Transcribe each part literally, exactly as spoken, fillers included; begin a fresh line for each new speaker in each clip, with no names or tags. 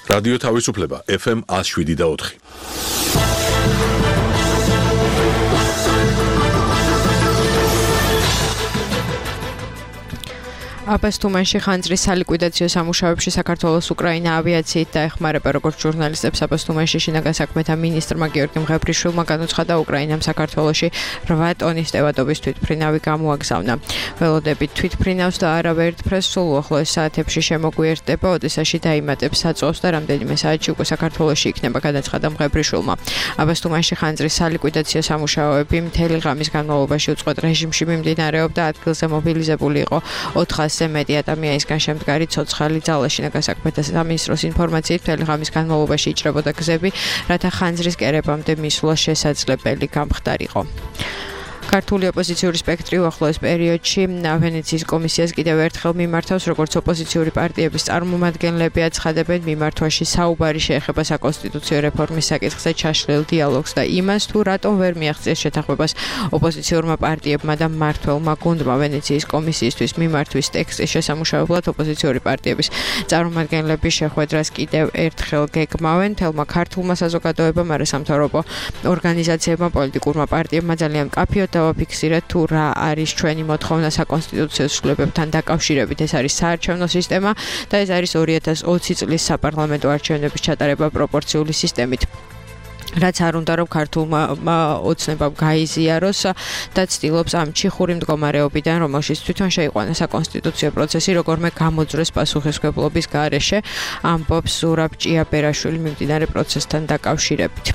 რადიო თავისუფლება ეფ ემ one oh seven და four.
აბას თუმანში ხანძრის სალიკვიდაციო სამუშაოებში საქართველოს უკრაინა ავიაციით დაეხმარება როგორც ჟურნალისტებს აბას თუმანში შინაგან საქმეთა მინისტრმა გიორგი მღებრიშვილმა განუცხადა უკრაინამ საქართველოში eight ტონის ტევადობის თვითმფრინავი გამოაგზავნა. ველოდებით თვითმფრინავს და არავერთფრეს სულ უახლოეს საათებში შემოგვიერთდება, ოდესაში დაიმატებს საწვავს და რამდენიმე საათში უკვე საქართველოში იქნება, განაცხადა მღებრიშვილმა. აბას თუმანში ხანძრის სალიკვიდაციო სამუშაოები მთელი ღამის განმავლობაში უწყვეტ რეჟიმში მიმდინარეობდა, ადგილზე მობილიზებული იყო four hundred მეტი ადამიანისგან შემდგარი ცოცხალი ძალა. შინაგან საქმეთა სამინისტროს ინფორმაციით მთელი ღამის განმავლობაში იჭრებოდა გზები, რათა ხანძრის კერებამდე მისვლა შესაძლებელი გამხდარიყო. ქართული ოპოზიციური სპექტრი უახლოეს პერიოდში ვენეციის კომისიას კიდევ ერთხელ მიმართავს, როგორც ოპოზიციური პარტიების წარმომადგენლები აცხადებენ, მიმართვაში საუბარი შეეხება საკონსტიტუციო რეფორმის საკითხზე ჩაშლილ დიალოგს და იმას, თუ რატომ ვერ მიაღწიეს შეთანხმებას ოპოზიციურმა პარტიებმა და მმართველმა გუნდმა. ვენეციის კომისიისთვის მიმართვის ტექსტის შესამუშავებლად ოპოზიციური პარტიების წარმომადგენლები შეხვედრას კიდევ ერთხელ გეგმავენ. თელმა ქართულმა საზოგადოებამ, არასამთავრობო ორგანიზაციებმა, პოლიტიკურმა პარტიებმა ძალიან მკაფიოდ დავაფიქსირეთ, თუ რა არის ჩვენი მოთხოვნა საკონსტიტუციო ცვლილებებთან დაკავშირებით. ეს არის საარჩევნო სისტემა და ეს არის two thousand twenty წლის საპარლამენტო არჩევნების ჩატარება პროპორციული სისტემით. რაც არ უნდა რომ ქართულმა ოცნებამ გაიზიაროს და ცდილობს ამ ჩიხური მდგომარეობიდან, რომელშიც თვითონ შეიყვანა საკონსტიტუციო პროცესი, როგორმე გამოძრეს პასუხისმგებლობის გარეშე, ამბობს ზურაბ ჭიაბერაშვილი მიმდინარე პროცესთან დაკავშირებით.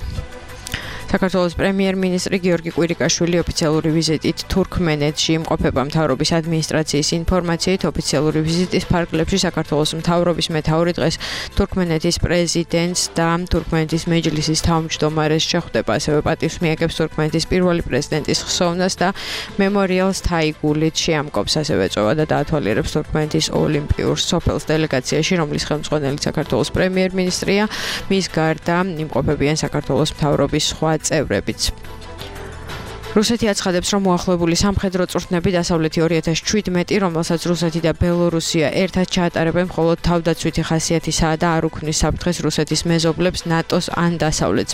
საქართველოს პრემიერ-მინისტრი გიორგი კვირიკაშვილი ოფიციალური ვიზიტით თურქმენეთში იმყოფება. მთავრობის ადმინისტრაციის ინფორმაციით, ოფიციალური ვიზიტის ფარგლებში საქართველოს მთავრობის მეთაური დღეს თურქმენეთის პრეზიდენტს და თურქმენეთის მეჯლისის თავმჯდომარეს შეხვდება. ასევე პატივს მიაგებს თურქმენეთის პირველი პრეზიდენტის ხსოვნას და მემორიალს თაიგულით შეამკობს. ასევე ეწევა და დაათვალიერებს თურქმენეთის ოლიმპიურ სოფელს დელეგაციაში, რომლის ხელმძღვანელი საქართველოს პრემიერ-მინისტრია. მის გარდა იმყოფებიან საქართველოს მთავრობის სხვა წევრებიც. რუსეთი აცხადებს, რომ მოახლოებული სამხედრო წვრთნები დასავლეთი two thousand seventeen, რომელსაც რუსეთი და ბელორუსია ერთად ჩაატარებენ, მხოლოდ თავდაცვითი ხასიათისაა და არ უქმნის საფრთხეს რუსეთის მეზობლებს, ნატოს ან დასავლეთს.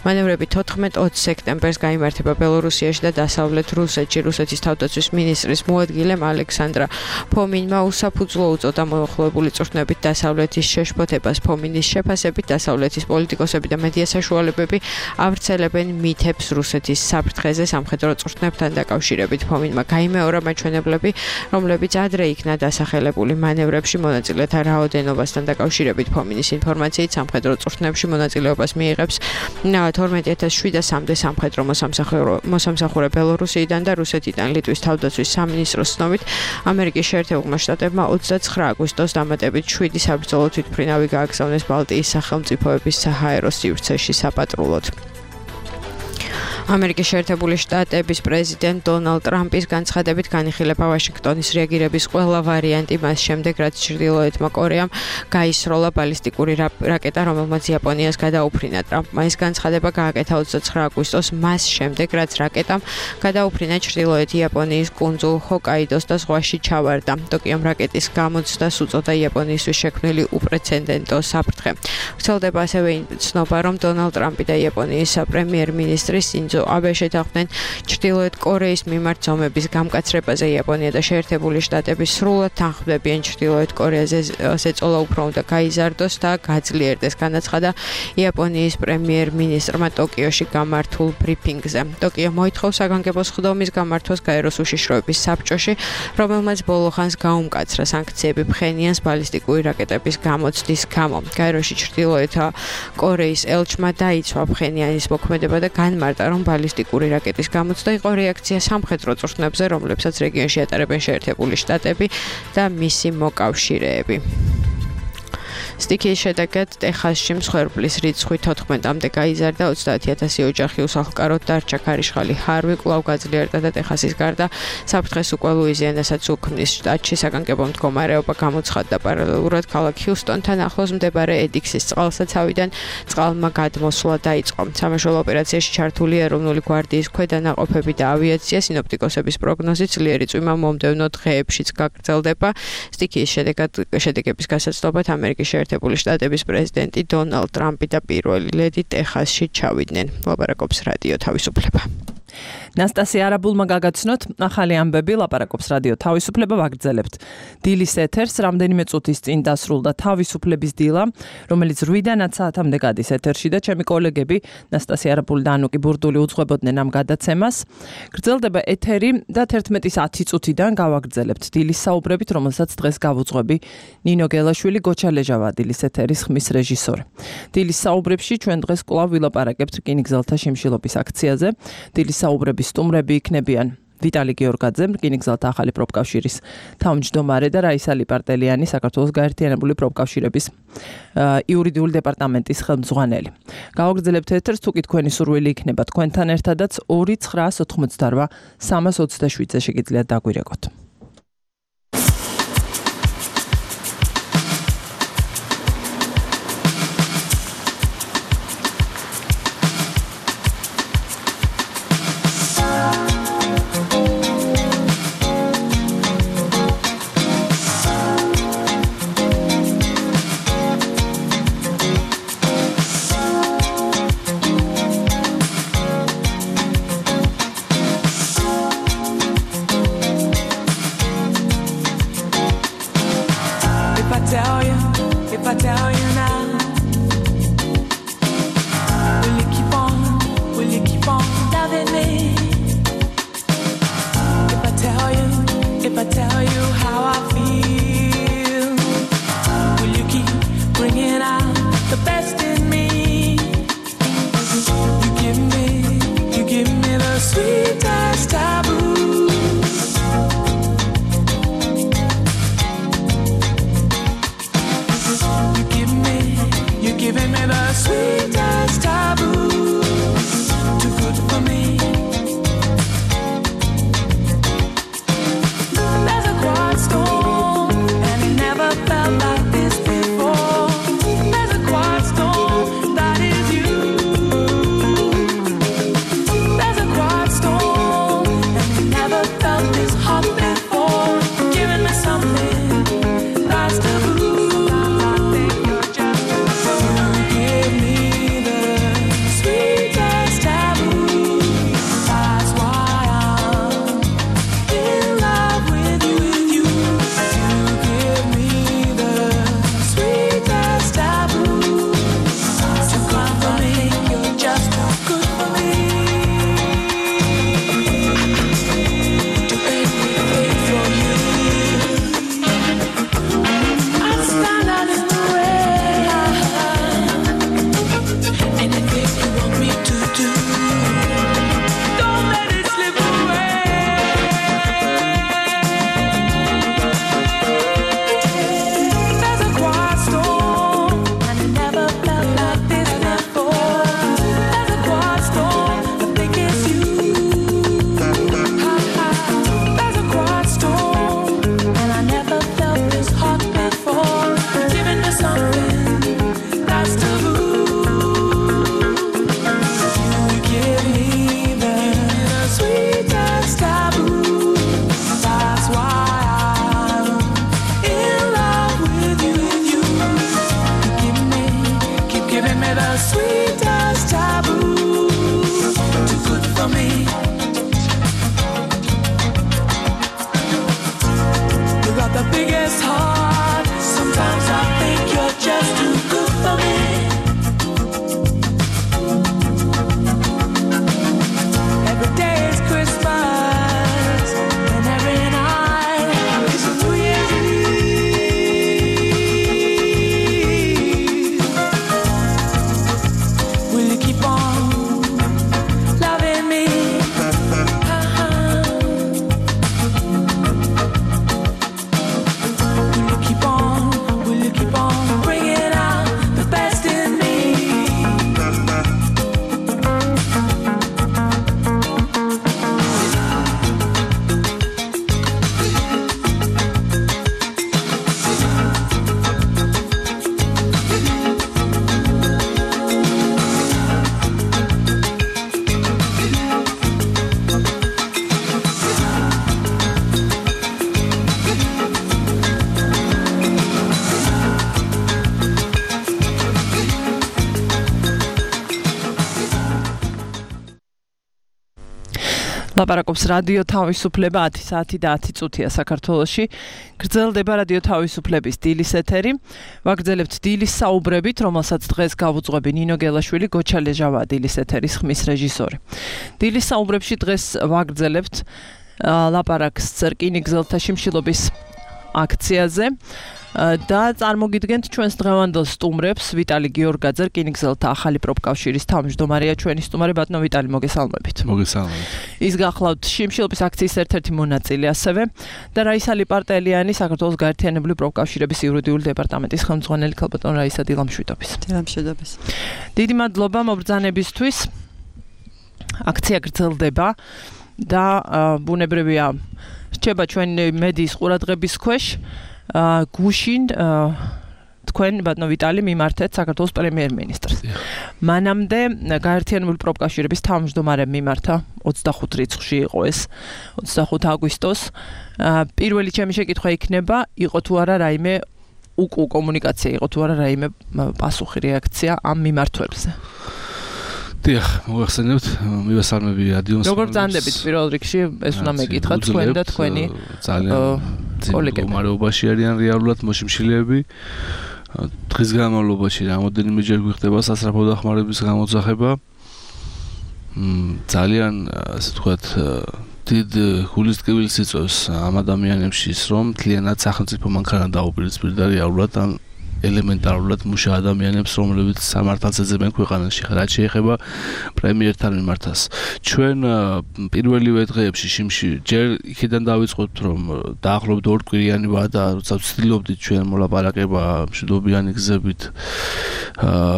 მანევრები fourteen twenty სექტემბერს გაიმართება ბელორუსიაში და დასავლეთ რუსეთში. რუსეთის თავდაცვის მინისტრის მოადგილემ ალექსანდრა ფომინმა უსაფუძვლო უწოდა მოახლოებული წვრთნებით დასავლეთის შეშფოთებას. ფომინის შეფასებით, დასავლეთის პოლიტიკოსები და მედია საშუალებები ავრცელებენ მითებს რუსეთის საფრთხეზე სამხედრო წვრთნებთან დაკავშირებით. ფომინმა გაიმეორა მაჩვენებლები, რომლებიც ადრე იქნა დასახელებული მანევრებში მონაწილეთა რაოდენობასთან დაკავშირებით. ფომინის ინფორმაციით, სამხედრო წვრთნებში მონაწილეობას მიიღებს twenty-two thousand seven hundred სამხედრო მოსამსახურე ბელორუსიიდან და რუსეთიდან. ლიტვის თავდაცვის სამინისტროს ცნობით, ამერიკის შეერთებულმა შტატებმა twenty-nine აგვისტოს დამატებით seven საბრძოლო თვითმფრინავი გააგზავნეს ბალტიის სახელმწიფოების საჰაერო სივრცეში საპატრულოდ. ამერიკის შეერთებული შტატების პრეზიდენტ დონალდ ტრამპის განცხადებით განიხილება ვაშინგტონის რეაგირების ყველა ვარიანტი მას შემდეგ, რაც ჩრდილოეთმა კორეამ გაისროლა ბალისტიკური რაკეტა, რომელმაც იაპონიას გადაუფრინა. ტრამპმა ეს განცხადება გააკეთა twenty-nine აგვისტოს მას შემდეგ, რაც რაკეტამ გადაუფრინა ჩრდილოეთი იაპონიის კუნძულ ჰოკაიდოს და ზღვაში ჩავარდა. ტოკიომ რაკეტის გამოცდას უწოდა იაპონიისთვის შექმნილი უპრეცედენტო საფრთხე. ვრცელდება ასევე ცნობა, რომ დონალდ ტრამპი და იაპონიის პრემიერ-მინისტრი სინძო აბე შეთანხმდნენ ჩრდილოეთ კორეის მიმართ ზომების გამკაცრებაზე. იაპონია და შეერთებული შტატები სრულად თანხმდებიან ჩრდილოეთ კორეაზე ზეწოლა უფრო უნდა გაიზარდოს და გაძლიერდეს, განაცხადა იაპონიის პრემიერ-მინისტრმა ტოკიოში გამართულ ბრიფინგზე. ტოკიო მოითხოვს საგანგებო სხდომის გამართვას გაეროს უშიშროების საბჭოში, რომელმაც ბოლო ხანს გაუმკაცრა სანქციები ფხენიანს ბალისტიკური რაკეტების გამოცდის გამო. გაეროში ჩრდილოეთ კორეის ელჩმა დაიცვა ფხენიანის მოქმედება და განმარტა, რომ ბალისტიკური რაკეტის გამოცდა იყო რეაქცია სამხედრო წვრთნებზე, რომლებსაც რეგიონში ატარებენ შეერთებული შტატები და მისი მოკავშირეები. სტიქიის შედეგად ტეხასში მსხვერპლის რიცხვი თოთხმეტამდე გაიზარდა, ოცდაათი ათასი ოჯახი უსახლკაროდ დარჩა. ქარიშხალი ჰარვი კვლავ გაძლიერდა და ტეხასის გარდა საფრთხეს უკვე ლუიზიანასაც უქმნის. შტატში საგანგებო მდგომარეობა გამოცხადდა. პარალელურად ქალაქ ჰიუსტონთან ახლოს მდებარე ედიქსის წყალსაცავიდან წყალმა გადმოსვლა დაიწყო. სამაშველო ოპერაციაში ჩართული ეროვნული გვარდიის ქვედანაყოფები და ავიაცია. სინოპტიკოსების პროგნოზით ძლიერი წვიმა მომდევნო დღეებშიც გაგრძელდება. სტიქიის შედეგად შედეგების გასაცნობად ამერიკის შეერთებული შტატების პრეზიდენტი დონალდ ტრამპი და პირველი ლედი ტეხასში ჩავიდნენ. ლაპარაკობს რადიო თავისუფლება.
ნასტასია არაბულმა გაგაცნოთ ახალი ამბები, ლაპარაკობს რადიო თავისუფლება, ვაგრძელებთ დილის ეთერს. რამდენიმე წუთის წინ დასრულდა თავისუფლების დილა, რომელიც რვიდანაც საათამდე გადის ეთერში და ჩემი კოლეგები ნასტასია არაბული და ანუკი ბურდული უძღვებოდნენ ამ გადაცემას. გრძელდება ეთერი და თერთმეტის ათი წუთიდან გავაგრძელებთ დილის საუბრებით, რომელსაც დღეს გავუძღვები ნინო გელაშვილი, გოჩა ლეჟავა დილის ეთერის ხმის რეჟისორი. დილის საუბრებში ჩვენ დღეს კვლავ ვილაპარაკებთ რკინიგზელთა შიმშილობის აქციაზე. დილის საუბრების სტუმრები იქნებიან ვიტალი გეორგაძე, რკინიგზელთა ახალი პროფკავშირის თავმჯდომარე და რაისა ლიპარტელიანი, საქართველოს გაერთიანებული პროფკავშირების იურიდიული დეპარტამენტის ხელმძღვანელი. გავაგრძელებთ ეთერს, თუკი თქვენი სურვილი იქნება თქვენთან ერთადაც ორი ცხრაას ოთხმოცდარვა სამას ოცდაშვიდზე შეგიძლიათ დაგვირეკოთ. ლაპარაკობს რადიო თავისუფლება ათი საათი და ათი წუთია საქართველოში. გრძელდება რადიო თავისუფლების დილის ეთერი. ვაგრძელებთ დილის საუბრებით, რომელსაც დღეს გავუძღვები ნინო გელაშვილი, გოჩა ლეჟავა დილის ეთერის ხმის რეჟისორი. დილის საუბრებში დღეს ვაგრძელებთ ლაპარაკს რკინიგზელთა შიმშილობის აქციაზე. და წარმოგიდგენთ ჩვენს დღევანდელ სტუმრებს ვიტალი გიორგაძე, რკინიგზელთა ახალი პროფკავშირის თავმჯდომარეა, ჩვენი სტუმარი ბატონო ვიტალი, მოგესალმებით.
მოგესალმებით.
ის გახლავთ შიმშილობის აქციის ერთ-ერთი მონაწილე ასევე და რაისა ლიპარტელიანი, საქართველოს გაერთიანებული პროფკავშირების იურიდიული დეპარტამენტის ხელმძღვანელი ქალბატონ რაისა დილამშვიდობის.
დილამშვიდობის.
დიდი მადლობა მობრძანებისთვის. აქცია გრძელდება და ბუნებრივია რჩება ჩვენი მედიის ყურადღების ქვეშ. გუშინ თქვენ ბატონო ვიტალი მიმართეთ საქართველოს პრემიერ-მინისტრს. მანამდე გაერთიანებული პროფკავშირების თავმჯდომარემ მიმართა ოცდახუთ რიცხვში იყო ეს ოცდახუთ აგვისტოს. პირველი ჩემი შეკითხვა იქნება, იყო თუ არა რაიმე უკუ კომუნიკაცია, იყო თუ არა რაიმე პასუხი, რეაქცია ამ მიმართვებზე?
დიახ, მოგახსენებთ, მივესალმები რადიოს.
როგორ ბრძანდებით პირველ რიგში, ეს უნდა მეკითხა თქვენ და თქვენი
კოლეგები. მდგომარეობაში არიან რეალურად მოშიმშილეები. დღის განმავლობაში რამოდენიმეჯერ გვიხდება სასწრაფო დახმარების გამოძახება. ძალიან, ასე ვთქვათ, დიდ გულისწყვილს იწვევს ამ ადამიანებში ის, რომ მთლიანად სახელმწიფო მანქანა დაუპირისპირდა რეალურად ან ელემენტარულად მუშა ადამიანებს, რომლებიც სამართალს ეძებენ ქვეყანაში, რაც შეეხება პრემიერთან მიმართას. ჩვენ პირველივე დღეებში შიმში ჯერ იქიდან დავიწყოთ, რომ დაახლოებით ორკვირიანი ვადა, როცა ვცდილობდით ჩვენ მოლაპარაკება მშვიდობიანი გზებით,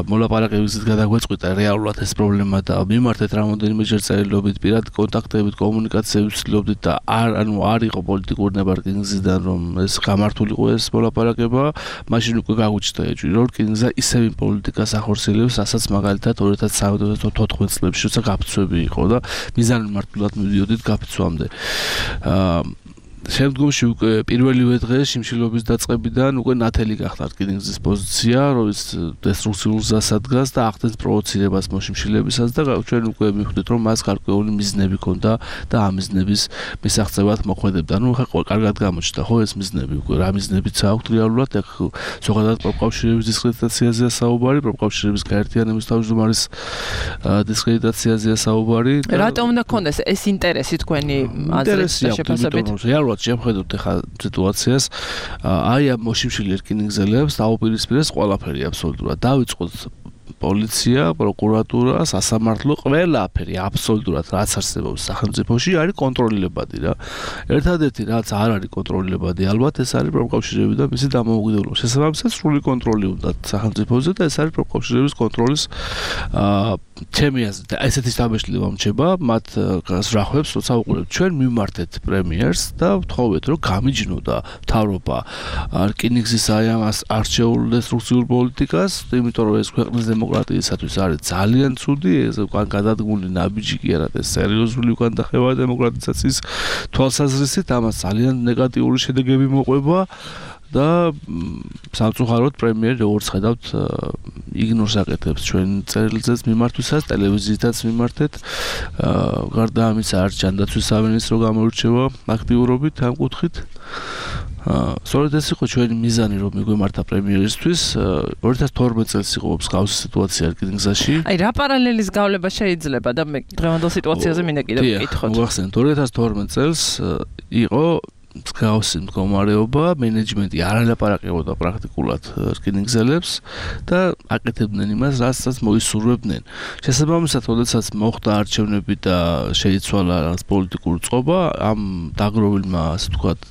მოლაპარაკების გზით გადაგვეწყვიტა რეალურად ეს პრობლემა და მიმართეთ რამოდენიმეჯერ წერილობით, პირად კონტაქტებით, კომუნიკაციებით ვცდილობდით და არ ანუ არ იყო პოლიტიკური ნებარგინგზიდან, რომ ეს გამართულიყო ეს მოლაპარაკება, მაშინ უკვე გაუჩნდა ეჭვი, რომ რკინიგზა ისევ იმ პოლიტიკას ახორციელებს, რასაც მაგალითად ორი ათას თოთხმეტ წლებში როცა გაფიცვები იყო და მიზანმიმართულად მივიდოდით გაფიცვამდე. შემდგომში უკვე პირველივე დღეს შიმშილობის დაწყებიდან უკვე ნათელი გახდა რკინიგზის პოზიცია, რომელიც დესტრუქციულ გზას ადგას და ახდენს პროვოცირებას მოშიმშილებისას და ჩვენ უკვე მივხვდით, რომ მას გარკვეული მიზნები ჰქონდა და ამ მიზნების მისაღწევად მოქმედებდა. ნუ ხა კარგად გამოჩნდა ხო ეს მიზნები, უკვე რა მიზნებიც აქვს რეალურად, ეხ ზოგადად პროფკავშირების დისკრედიტაციაზეა საუბარი, პროფკავშირების გაერთიანების თავმჯდომარის დისკრედიტაციაზეა საუბარი.
რატომ უნდა ქონდეს ეს ინტერესი თქვენი აზრით და შეფასებით?
შევხედოთ ახლა სიტუაციას, აი ამ მოშიმშილი რკინიგზელებს დაუპირისპირეს ყველაფერი აბსოლუტურად. დავიწყოთ პოლიცია, პროკურატურა, სასამართლო, ყველაფერი აბსოლუტურად რაც არსებობს სახელმწიფოში არის კონტროლებადი რა. ერთადერთი რაც არ არის კონტროლებადი, ალბათ ეს არის პროფკავშირები და მისი დამოუკიდებლობა. შესაბამისად სრული კონტროლი უნდა სახელმწიფოზე და ეს არის პროფკავშირების კონტროლის ჩემი აზრით ესეთი შთაბეჭდილება მრჩება მათ გასრახვებს, როცა უყურებთ ჩვენ მიმართეთ პრემიერს და ვთხოვეთ, რომ გამიჯნოდა მთავრობა რკინიგზის აი ამას არჩეულ დესტრუქციულ პოლიტიკას, იმიტომ რომ ეს ქვეყნის დემოკრატიისათვის არის ძალიან ცუდი, ეს უკან გადადგმული ნაბიჯი კი არა, ეს სერიოზული უკან დახევა დემოკრატიზაციის თვალსაზრისით, ამას ძალიან ნეგატიური შედეგები მოყვება და სამწუხაროდ პრემიერი როგორც ხედავთ იგნორს აკეთებს ჩვენ წერილზეც მიმართვისას, ტელევიზიითაც მიმართეთ. გარდა ამისა არ ჯანდაცვის სამინისტრო გამოირჩევა აქტიურობით ამ კუთხით. სწორედ ეს იყო ჩვენი მიზანი, რომ მიგვემართა პრემიერისთვის. ორი ათას თორმეტ წელს იყო მსგავსი სიტუაცია რკინიგზაში.
აი რა პარალელის გავლება შეიძლება და მე დღევანდელ სიტუაციაზე მინდა კიდევ ვკითხოთ.
მოგახსენეთ, ორი ათას თორმეტ წელს იყო მსგავსი მდგომარეობა, მენეჯმენტი არ ალაპარაკებოდა პრაქტიკულად რკინიგზელებს და აკეთებდნენ იმას, რასაც მოისურვებდნენ. შესაბამისად, როდესაც მოხდა არჩევნები და შეიცვალა რაღაც პოლიტიკური წყობა, ამ დაგროვილმა, ასე ვთქვათ,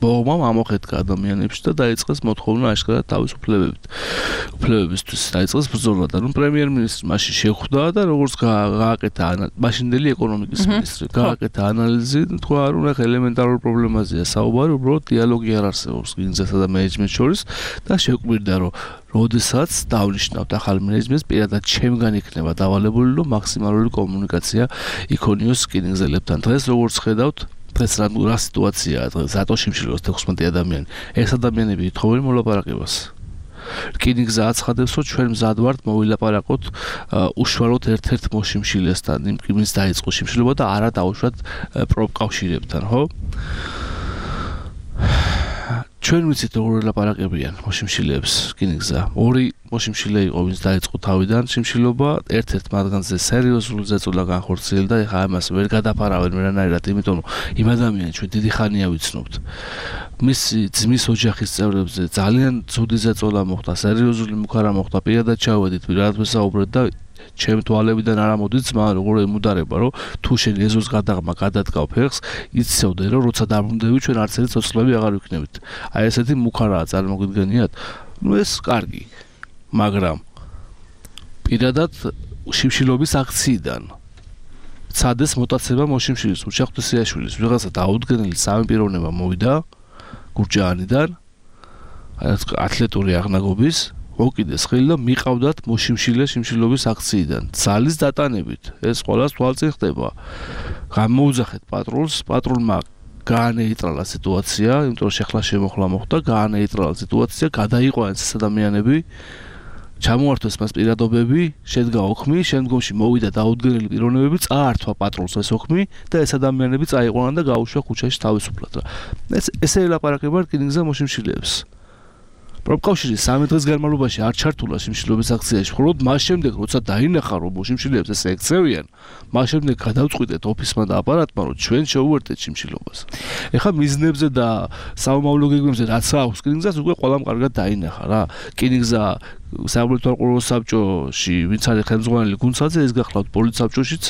ბოღმამ ამოხეთკა ადამიანებში და დაიწყეს მოთხოვნა აშკარად თავისუფლებებით. უფლებებისთვის დაიწყეს ბრძოლა და ნუ პრემიერ-მინისტრი მაშინ შეხვდა და როგორც გააკეთა მაშინდელი ეკონომიკის მინისტრი, გააკეთა ანალიზი, თქვა, რომ ახლა ელემენტარულ პრობლემაზეა საუბარი, უბრალოდ დიალოგი არ არსებობს რკინიგზასა და მენეჯმენტს შორის და შეკვირდა, რომ როდესაც დავნიშნავთ ახალ მენეჯმენტს, პირადად ჩემგან იქნება დავალებული, რომ მაქსიმალური კომუნიკაცია იქონიოს რკინიგზელებთან. დღეს როგორც ხედავთ, დღეს რა სიტუაციაა დღეს, რატო შიმშილობს თექვსმეტი ადამიანი? ეს ადამიანები ითხოვენ მოლაპარაკებას. რკინიგზა აცხადებს, რომ ჩვენ მზად ვართ მოვილაპარაკოთ უშუალოდ ერთ-ერთ მოშიმშილესთან, იმ კიბის დაიწყო შიმშილობა და არა დაუშვათ პროფკავშირებთან, ხო? ჩვენ ვიცით როგორ ელაპარაკებიან მოშიმშილეებს რკინიგზა. ორი მოშიმშილე იყო, ვინც დაიწყო თავიდან შიმშილობა, ერთ-ერთ მათგანზე სერიოზული ზეწოლა განხორციელდა, ეხლა ამას ვერ გადაფარავენ ვერანაირად, იმიტომ რომ იმ ადამიანს ჩვენ დიდი ხანია ვიცნობთ. მისი ძმის ოჯახის წევრებზე ძალიან ცუდი ზეწოლა მოხდა, სერიოზული მუქარა მოხდა, პირადად ჩავედით, პირადად ვესაუბრეთ და ჩემ თვალებიდან არ ამოდის ძმა, როგორ ემუდარება, რომ თუ შენ ეზოს გადაღმა გადადგავ ფეხს, იცოდე, რომ როცა დაბრუნდები ჩვენ არც ერთი ცოცხლები აღარ ვიქნებით. აი ესეთი მუქარაა წარმოგიდგენიათ? ნუ ეს კარგი. მაგრამ პირადად შიმშილობის აქციიდან ცადეს მოტაცება მოშიმშილის უშა ღვთისიაშვილის ვიღაცა დაუდგენელი სამი პიროვნება მოვიდა გურჯაანიდან ათლეტური აღნაგობის მოკიდეს ხელი და მიყავდათ მოშიმშილე შიმშილობის აქციიდან ძალის დატანებით ეს ყველას თვალწინ ხდება გამოუძახეთ პატრულს პატრულმა გაანეიტრალა სიტუაცია იმიტომ რომ შეხლა შემოხლა მოხდა გაანეიტრალა სიტუაცია გადაიყვანეს ეს ადამიანები ჩამოართვეს მას პირადობები, შედგა ოქმი, შემდგომში მოვიდა დაუდგენელი პიროვნებები, წაართვა პატრულს ეს ოქმი და ეს ადამიანები წაიყვანა და გაუშვა ქუჩაში თავისუფლად. ეს ესე ელაპარაკება რკინიგზა მოშიმშილეებს. პროფკავშირი სამი დღის განმავლობაში არ ჩართულა შიმშილობის აქციაში, მხოლოდ მას შემდეგ, როცა დაინახა, რომ მოშიმშილეებს ესე ექცევიან, მას შემდეგ გადავწყვიტეთ ოფისმა და აპარატმა, რომ ჩვენ შევუერთდეთ შიმშილობას. ეხლა მიზნებზე და საომავლო გეგმებზე რაც აქვს რკინიგზას, უკვე ყველამ კარგად დაინახა რა. რკინიგზა საბოლოო საბჭოში ვინც არის ხელმძღვანელი გუნცაძე ეს გახლავთ პოლიცსაბჭოშიც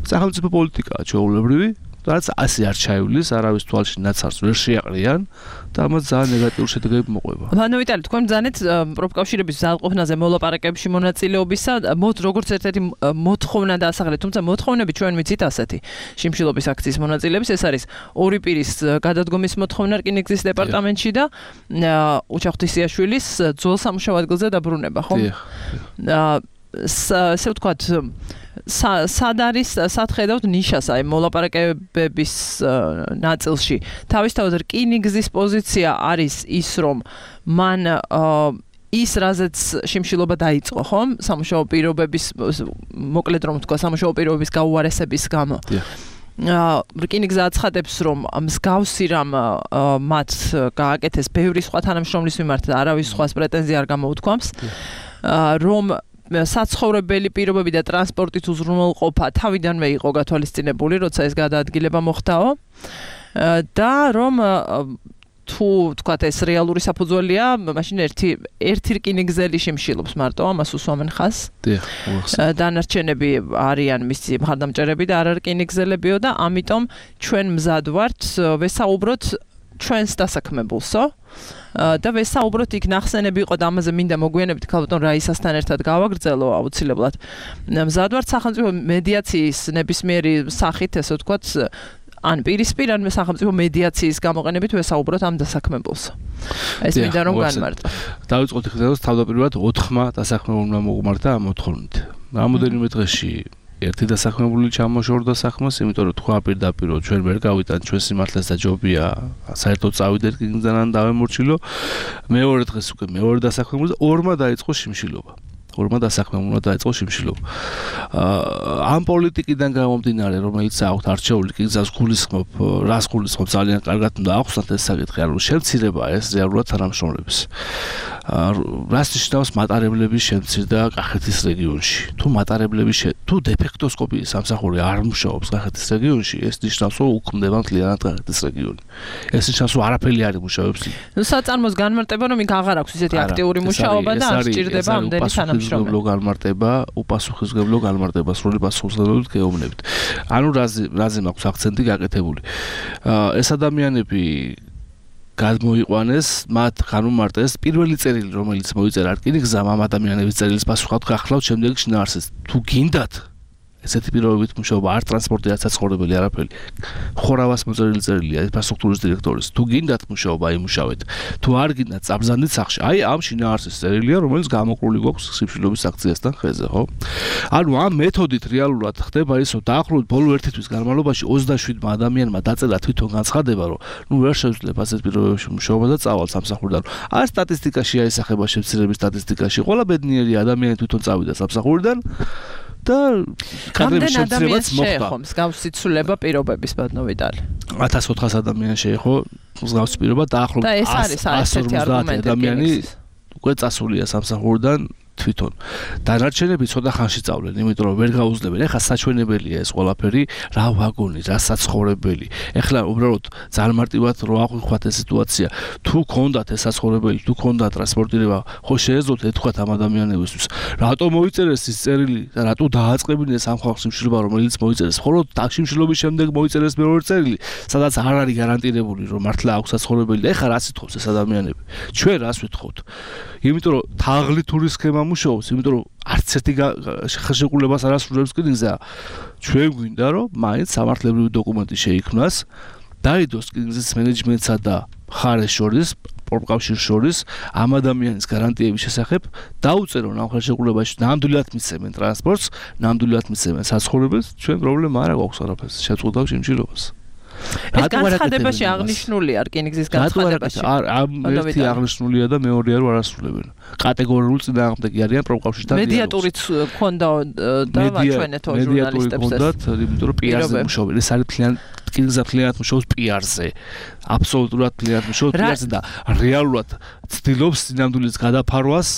სახელმწიფო პოლიტიკაა ჩვეულებრივი რაც ასე არ ჩაივლის არავის თვალში ნაცარს ვერ შეაყრიან და ამას ძალიან ნეგატიური შედეგები მოყვება.
მანო ვიტალი თქვენ ბრძანეთ პროფკავშირების ძალყოფნაზე მოლაპარაკებებში მონაწილეობისა მოთ როგორც ერთ-ერთი მოთხოვნა დაასახელეთ თუმცა მოთხოვნები ჩვენ ვიცით ასეთი შიმშილობის აქციის მონაწილეების ეს არის ორი პირის გადადგომის მოთხოვნა რკინიგზის დეპარტამენტში და უჩა ღვთისიაშვილის ძველ სამუშაო ადგილზე დაბრუნება ხო? ესე ვთქვათ სად არის სად ხედავთ ნიშას აი მოლაპარაკებების ნაწილში თავისთავად რკინიგზის პოზიცია არის ის რომ მან ის რაზეც შიმშილობა დაიწყო ხომ სამუშაო პირობების მოკლედ რომ თქვა სამუშაო პირობების გაუარესების გამო რკინიგზა აცხადებს რომ მსგავსი რამ მათ გააკეთეს ბევრი სხვა თანამშრომლის მიმართ არავის სხვას პრეტენზია არ გამოუთქვამს რომ საცხოვრებელი პირობები და ტრანსპორტით უზრუნველყოფა თავიდანვე იყო გათვალისწინებული, როცა ეს გადაადგილება მოხდაო და რომ თუ თქვათ ეს რეალური საფუძველია, მაშინ ერთი ერთი რკინიგზელი შიმშილობს მარტო, ამას უსვამენ ხაზს.
დიახ,
დანარჩენები არიან მისი მხარდამჭერები და არა რკინიგზელებიო და ამიტომ ჩვენ მზად ვართ ვესაუბროთ ჩვენს დასაქმებულსო. და ვესაუბროთ იქ ნახსენები იყო და ამაზე მინდა მოგვიანებით ქალბატონ რაისასთან ერთად გავაგრძელო აუცილებლად. მზად ვართ სახელმწიფო მედიაციის ნებისმიერი სახით, ესე ვთქვათ, ან პირისპირ ან სახელმწიფო მედიაციის გამოყენებით ვესაუბროთ ამ დასაქმებულს. ეს მინდა რომ განმარტო.
დავიწყოთ იქ თავდაპირველად ოთხმა დასაქმებულმა მოგმართა ამ მოთხოვნით. რამოდენიმე დღეში ერთი დასაქმებული ჩამოშორდა საქმეს, იმიტომ რომ თქვა პირდაპირ რომ ჩვენ ვერ გავიტან ჩვენ სიმართლეს და ჯობია საერთოდ წავიდე რკინიგზიდან დავემორჩილო. მეორე დღეს უკვე მეორე დასაქმებულზე ორმა დაიწყო შიმშილობა. ორმა დასაქმებულმა დაიწყო შიმშილობა. ამ პოლიტიკიდან გამომდინარე, რომელიც აქვთ არჩეული რკინიგზას გულისხმობ, რას გულისხმობ ძალიან კარგად უნდა ახსნათ ეს საკითხი, რომ შემცირება ეს რეალურად თანამშრომლების. რას ნიშნავს მატარებლების შემცირდა კახეთის რეგიონში? თუ მატარებლები თუ დეფექტოსკოპიის სამსახური არ მუშაობს კახეთის რეგიონში, ეს ნიშნავს, რომ უქმდება მთლიანად კახეთის რეგიონი. ეს ნიშნავს, რომ არაფერი არ იმუშავებს.
ნუ საწარმოს განმარტება, რომ იქ აღარ აქვს ისეთი აქტიური მუშაობა და არ სჭირდება ამდენი თანამშრომელი.
განმარტება, უპასუხისმგებლო განმარტება, სრული პასუხისმგებლობით გეუბნებით. ანუ რაზე რაზე მაქვს აქცენტი გაკეთებული. ეს ადამიანები გადმოიყვანეს, მათ განუმარტეს პირველი წერილი, რომელიც მოიწერა რკინიგზამ ამ ადამიანების წერილის პასუხად გახლავთ შემდეგ შინაარსის. თუ გინდათ ესეთი პირობებით მუშაობა, არ ტრანსპორტი, არ საცხოვრებელი, არაფერი. ხორავას მოწერილი წერილია ინფრასტრუქტურის დირექტორის. თუ გინდათ მუშაობა, იმუშავეთ. თუ არ გინდათ, წაბრძანდით სახში. აი ამ შინაარსის წერილია, რომელიც გამოკრული გვაქვს სიფშნობის აქციასთან ხეზე, ხო? ანუ ამ მეთოდით რეალურად ხდება ისო დაახლოებით ბოლო ერთი თვის განმავლობაში ოცდაშვიდმა ადამიანმა დაწერა თვითონ განცხადება, რომ ნუ ვერ შეძლებ ასეთ პირობებში მუშაობა და წავალ სამსახურიდან. არ სტატისტიკაში აისახება შემცირების სტატისტიკაში, ყველა ბედნიერი ადამიანი თვითონ წავიდა სამსახურიდან და კადრების შემცირებაც მოხდა.
მსგავსი ცვლილება პირობების ბატონოვიტალი.
ათას ოთხას ადამიანი შეეხო მსგავსი პირობა დაახლოებით ას ორმოცდაათი ადამიანი უკვე წასულია სამსახურიდან თვითონ. დანარჩენები ცოტა ხანში წავლენ, იმიტომ რომ ვერ გაუძლებენ. ეხლა საჩვენებელია ეს ყველაფერი, რა ვაგონი, რა საცხოვრებელი. ეხლა უბრალოდ ძალიან მარტივად რო აღვიქვათ ეს სიტუაცია. თუ გქონდათ ეს საცხოვრებელი, თუ გქონდათ ტრანსპორტირება, ხო შეეძლოთ ეთქვათ ამ ადამიანებისთვის. რატო მოიწერეს ის წერილი და რატო დააწყებინეს ამ ხალხს სიმშილობა, რომელიც მოიწერეს? მხოლოდ ტაქსიმშილობის შემდეგ მოიწერეს მეორე წერილი, სადაც არ არის გარანტირებული, რომ მართლა აქვს საცხოვრებელი. ეხლა რა სიტყვებს ეს ადამიანები? ჩვენ რას ვითხოვთ? იმიტომ რომ თაღლი თური სქემა მუშაობს, იმიტომ რომ არც ერთი ხელშეკრულებას არ ასრულებს რკინიგზა. ჩვენ გვინდა რომ მაინც სამართლებრივი დოკუმენტი შეიქმნას, დაიდოს რკინიგზის მენეჯმენტსა და მხარეს შორის, პროფკავშირს შორის ამ ადამიანის გარანტიების შესახებ დაუწერონ ამ ხელშეკრულებაში, ნამდვილად მისცემენ ტრანსპორტს, ნამდვილად მისცემენ საცხოვრებელს, ჩვენ პრობლემა არ აქვს არაფერს, შეწყვეტავ სიმჭირობას.
ეს განცხადებაში აღნიშნულია რკინიგზის განცხადებაში.
არ ერთი აღნიშნულია და მეორეა რომ არ ასრულებენ. კატეგორიულ წინააღმდეგი არიან პროფკავშირთან.
მედიატორიც ქონდა და ვაჩვენეთო ჟურნალისტებს ეს.
იმიტომ რომ პიარზე მუშაობენ. ეს არის ძალიან რკინიგზა ძალიან მუშაობს პიარზე. აბსოლუტურად ძალიან მუშაობს პიარზე და რეალურად ცდილობს სინამდვილის გადაფარვას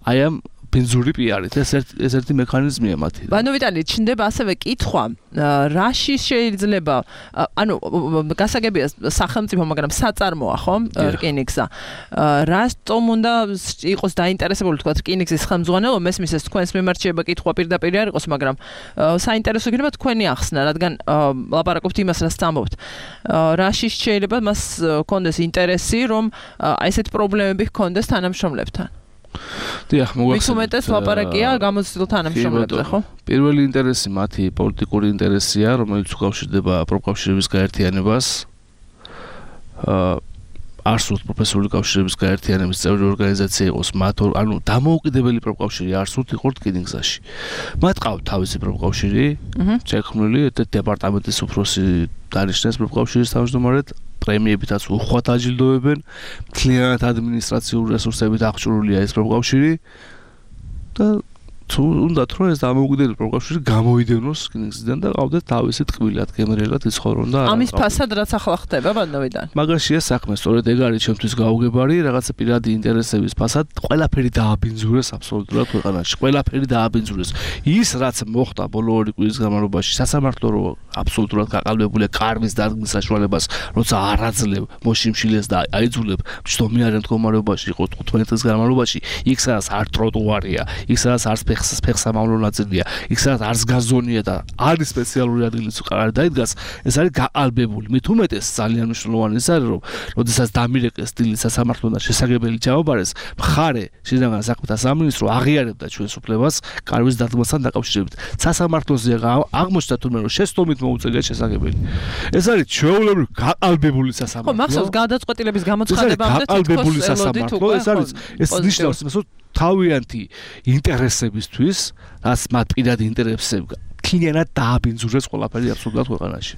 აი ამ ბენზური პიარით. ეს ერთ ეს ერთი მექანიზმია მათი.
ბანო ვიტალი, ჩნდება ასევე კითხვა, რაში შეიძლება, ანუ გასაგებია სახელმწიფო, მაგრამ საწარმოა, ხო, რკინიგზა. რატომ უნდა იყოს დაინტერესებული თქვა რკინიგზის ხელმძღვანელობა, მესმის ეს თქვენს მიმართ შეიძლება კითხვა პირდაპირ არ იყოს, მაგრამ საინტერესო იქნება თქვენი ახსნა, რადგან ლაპარაკობთ იმას, რაც ამბობთ. რაში შეიძლება მას კონდეს ინტერესი, რომ აი ესეთ პრობლემები ჰქონდეს თანამშრომლებთან.
დიახ, მოგახსენეთ.
მის უმეტეს ლაპარაკია გამოცდილ თანამშრომლებზე, ხო?
პირველი ინტერესი მათი პოლიტიკური ინტერესია, რომელიც უკავშირდება პროფკავშირების გაერთიანებას. აა არ სურთ პროფესიული კავშირების გაერთიანების წევრი ორგანიზაცია იყოს მათ, ანუ დამოუკიდებელი პროფკავშირი არ სურთ იყო რკინიგზაში. მათ ყავთ თავისი პროფკავშირი, შექმნილი დეპარტამენტის უფროსი დანიშნეს პროფკავშირის თავმჯდომარედ. პრემიებითაც უხვად აჯილდოებენ, მთლიანად ადმინისტრაციული რესურსებით აღჭურვილია ეს პროფკავშირი და თუ უნდათ რომ ეს დამოუკიდებელი პროფკავშირი გამოიდევნოს რკინიგზიდან და ყავდეთ თავისი ტკბილად გემრიელად იცხოვრონ და
ამის ფასად რაც ახლა ხდება ბანდოვიდან.
მაგაშია საქმე, სწორედ ეგ არის ჩემთვის გაუგებარი, რაღაცა პირადი ინტერესების ფასად ყველაფერი დააბინძურეს აბსოლუტურად ქვეყანაში. ყველაფერი დააბინძურეს. ის რაც მოხდა ბოლო ორი კვირის განმავლობაში, სასამართლო რო აბსოლუტურად გაყალბებულია კარვის დადგმის საშუალებას, როცა არ აძლევ მოშიმშილეს და აიძულებ მჯდომარე მდგომარეობაში იყო თხუთმეტი წლის განმავლობაში, იქ სადაც არ ტროტუარია, იქ სადაც არ ფეხსამავლო ნაწილია, იქ სადაც არც გაზონია და არის სპეციალური ადგილიც არ დაიდგას, ეს არის გაყალბებული. მით უმეტეს ძალიან მნიშვნელოვანი ის არის, რომ როდესაც დამირეკეს დილით სასამართლოდან შესაგებელი ჩამობარეს, მხარე შინაგან საქმეთა სამინისტრო აღიარებდა ჩვენს უფლებას კარვის დადგმასთან დაკავშირებით. სასამართლოზე აღმოჩნდა თუმცა რომ შეცდომით მოუწევია შესაგებელი. ეს არის ჩვეულებრივ გაყალბებული სასამართლო.
ხო, მახსოვს გადაწყვეტილების გამოცხადებამდე
გაყალბებული სასამართლო, ეს არის ეს ნიშნავს იმას, რომ თავიანთი ინტერესებისთვის, რაც მათ პირადი ინტერესებს თლიანად დააბინძურეს ყველაფერი აბსოლუტურად ქვეყანაში.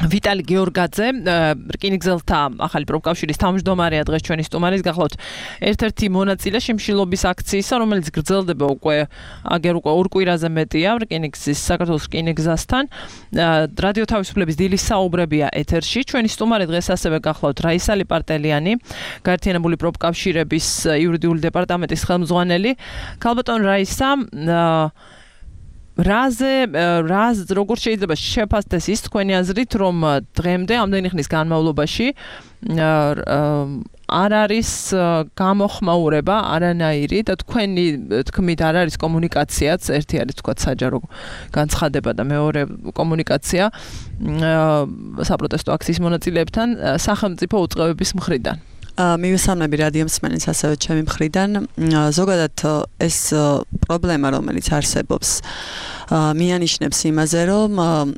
ვიტალი გეორგაძე, რკინიგზელთა ახალი პროფკავშირის თავმჯდომარეა დღეს ჩვენი სტუმარის გახლავთ. ერთ-ერთი მონაწილე შიმშილობის აქციისა, რომელიც გრძელდება უკვე აგერ უკვე ორ კვირაზე მეტია რკინიგზის საქართველოს რკინიგზასთან. რადიო თავისუფლების დილის საუბრებია ეთერში. ჩვენი სტუმარი დღეს ასევე გახლავთ რაისალი პარტელიანი, გაერთიანებული პროფკავშირების იურიდიული დეპარტამენტის ხელმძღვანელი. ქალბატონ რაისა, რაზე რაზ როგორ შეიძლება შეფასდეს ის თქვენი აზრით, რომ დღემდე ამდენი ხნის განმავლობაში არ არის გამოხმაურება არანაირი და თქვენი თქმით არ არის კომუნიკაციაც, ერთი არის თქვა საჯარო განცხადება და მეორე კომუნიკაცია საპროტესტო აქციის მონაწილეებთან სახელმწიფო უწყებების მხრიდან.
მივესალმები რადიო მსმენელს ასევე ჩემი მხრიდან. ზოგადად ეს პრობლემა, რომელიც არსებობს მიანიშნებს იმაზე, რომ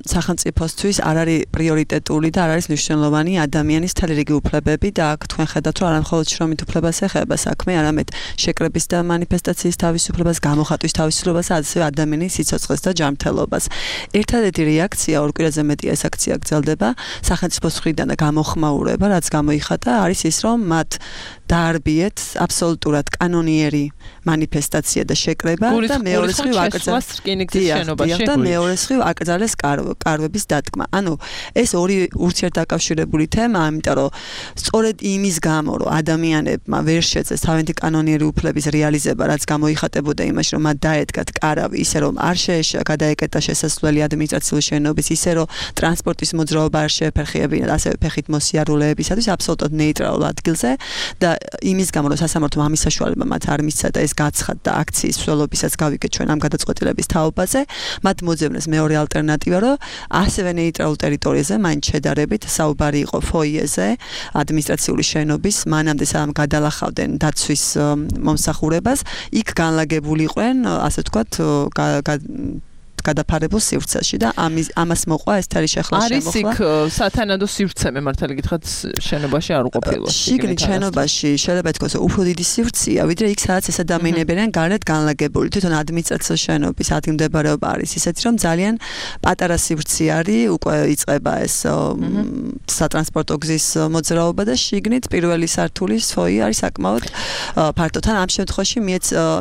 სახელმწიფოსთვის არ არის პრიორიტეტული და არ არის მნიშვნელოვანი ადამიანის მთელი რიგი უფლებები და აქ თქვენ ხედავთ, რომ არა მხოლოდ შრომით უფლებას ეხება საქმე, არამედ შეკრების და მანიფესტაციის თავისუფლებას, გამოხატვის თავისუფლებას, ასევე ადამიანის სიცოცხლეს და ჯანმრთელობას. ერთადერთი რეაქცია ორ კვირაზე მეტი ეს აქცია გრძელდება სახელმწიფოს მხრიდან და გამოხმაურება, რაც გამოიხატა, არის ის, რომ მათ დაარბიეთ აბსოლუტურად კანონიერი მანიფესტაცია და შეკრება და მეორე მხრივ აკრძალეს რკინიგზის შენობაში და მეორე მხრივ აკრძალეს კარვების დადგმა. ანუ ეს ორი ურთიერთდაკავშირებული თემაა, იმიტომ რომ სწორედ იმის გამო, რომ ადამიანებმა ვერ შეძლეს თავიანთი კანონიერი უფლების რეალიზება, რაც გამოიხატებოდა იმაში, რომ მათ დაედგათ კარავი, ისე რომ არ გადაეკეტა შესასვლელი ადმინისტრაციული შენობის, ისე რომ ტრანსპორტის მოძრაობა არ შეეფერხებინათ, ასევე ფეხით მოსიარულეებისათვის აბსოლუტურად ნეიტრალურ ადგილზე და იმის გამო, რომ სასამართლომ ამის საშუალება მათ არ მისცა და ეს გაცხადდა აქციის მსვლელობისაც გავიგეთ ჩვენ ამ გადაწყვეტილების თაობაზე, მათ მოძებნეს მეორე ალტერნატივა, რომ ასევე ნეიტრალურ ტერიტორიაზე მაინც შედარებით საუბარი იყო ფოიეზე ადმინისტრაციული შენობის, მანამდე სამ გადალახავდნენ დაცვის მომსახურებას, იქ განლაგებულიყვნენ, ასე ვთქვათ, გადაფარებულ სივრცეში და ამის ამას მოყვა ეს თერი შეხლა შემოხლა.
არის იქ სათანადო სივრცე, მე მართალი გითხრათ, შენობაში არ უყოფილო.
შიგნით შენობაში შეიძლება ითქვას, უფრო დიდი სივრცეა, ვიდრე იქ სადაც ეს ადამიანები არიან გარეთ განლაგებული. თვითონ ადმინისტრაციული შენობის ადგილმდებარეობა არის ისეთი, რომ ძალიან პატარა სივრცე არის, უკვე იწყება ეს სატრანსპორტო გზის მოძრაობა და შიგნით პირველი სართულის ფოიე არის საკმაოდ ფართო. თან ამ შემთხვევაში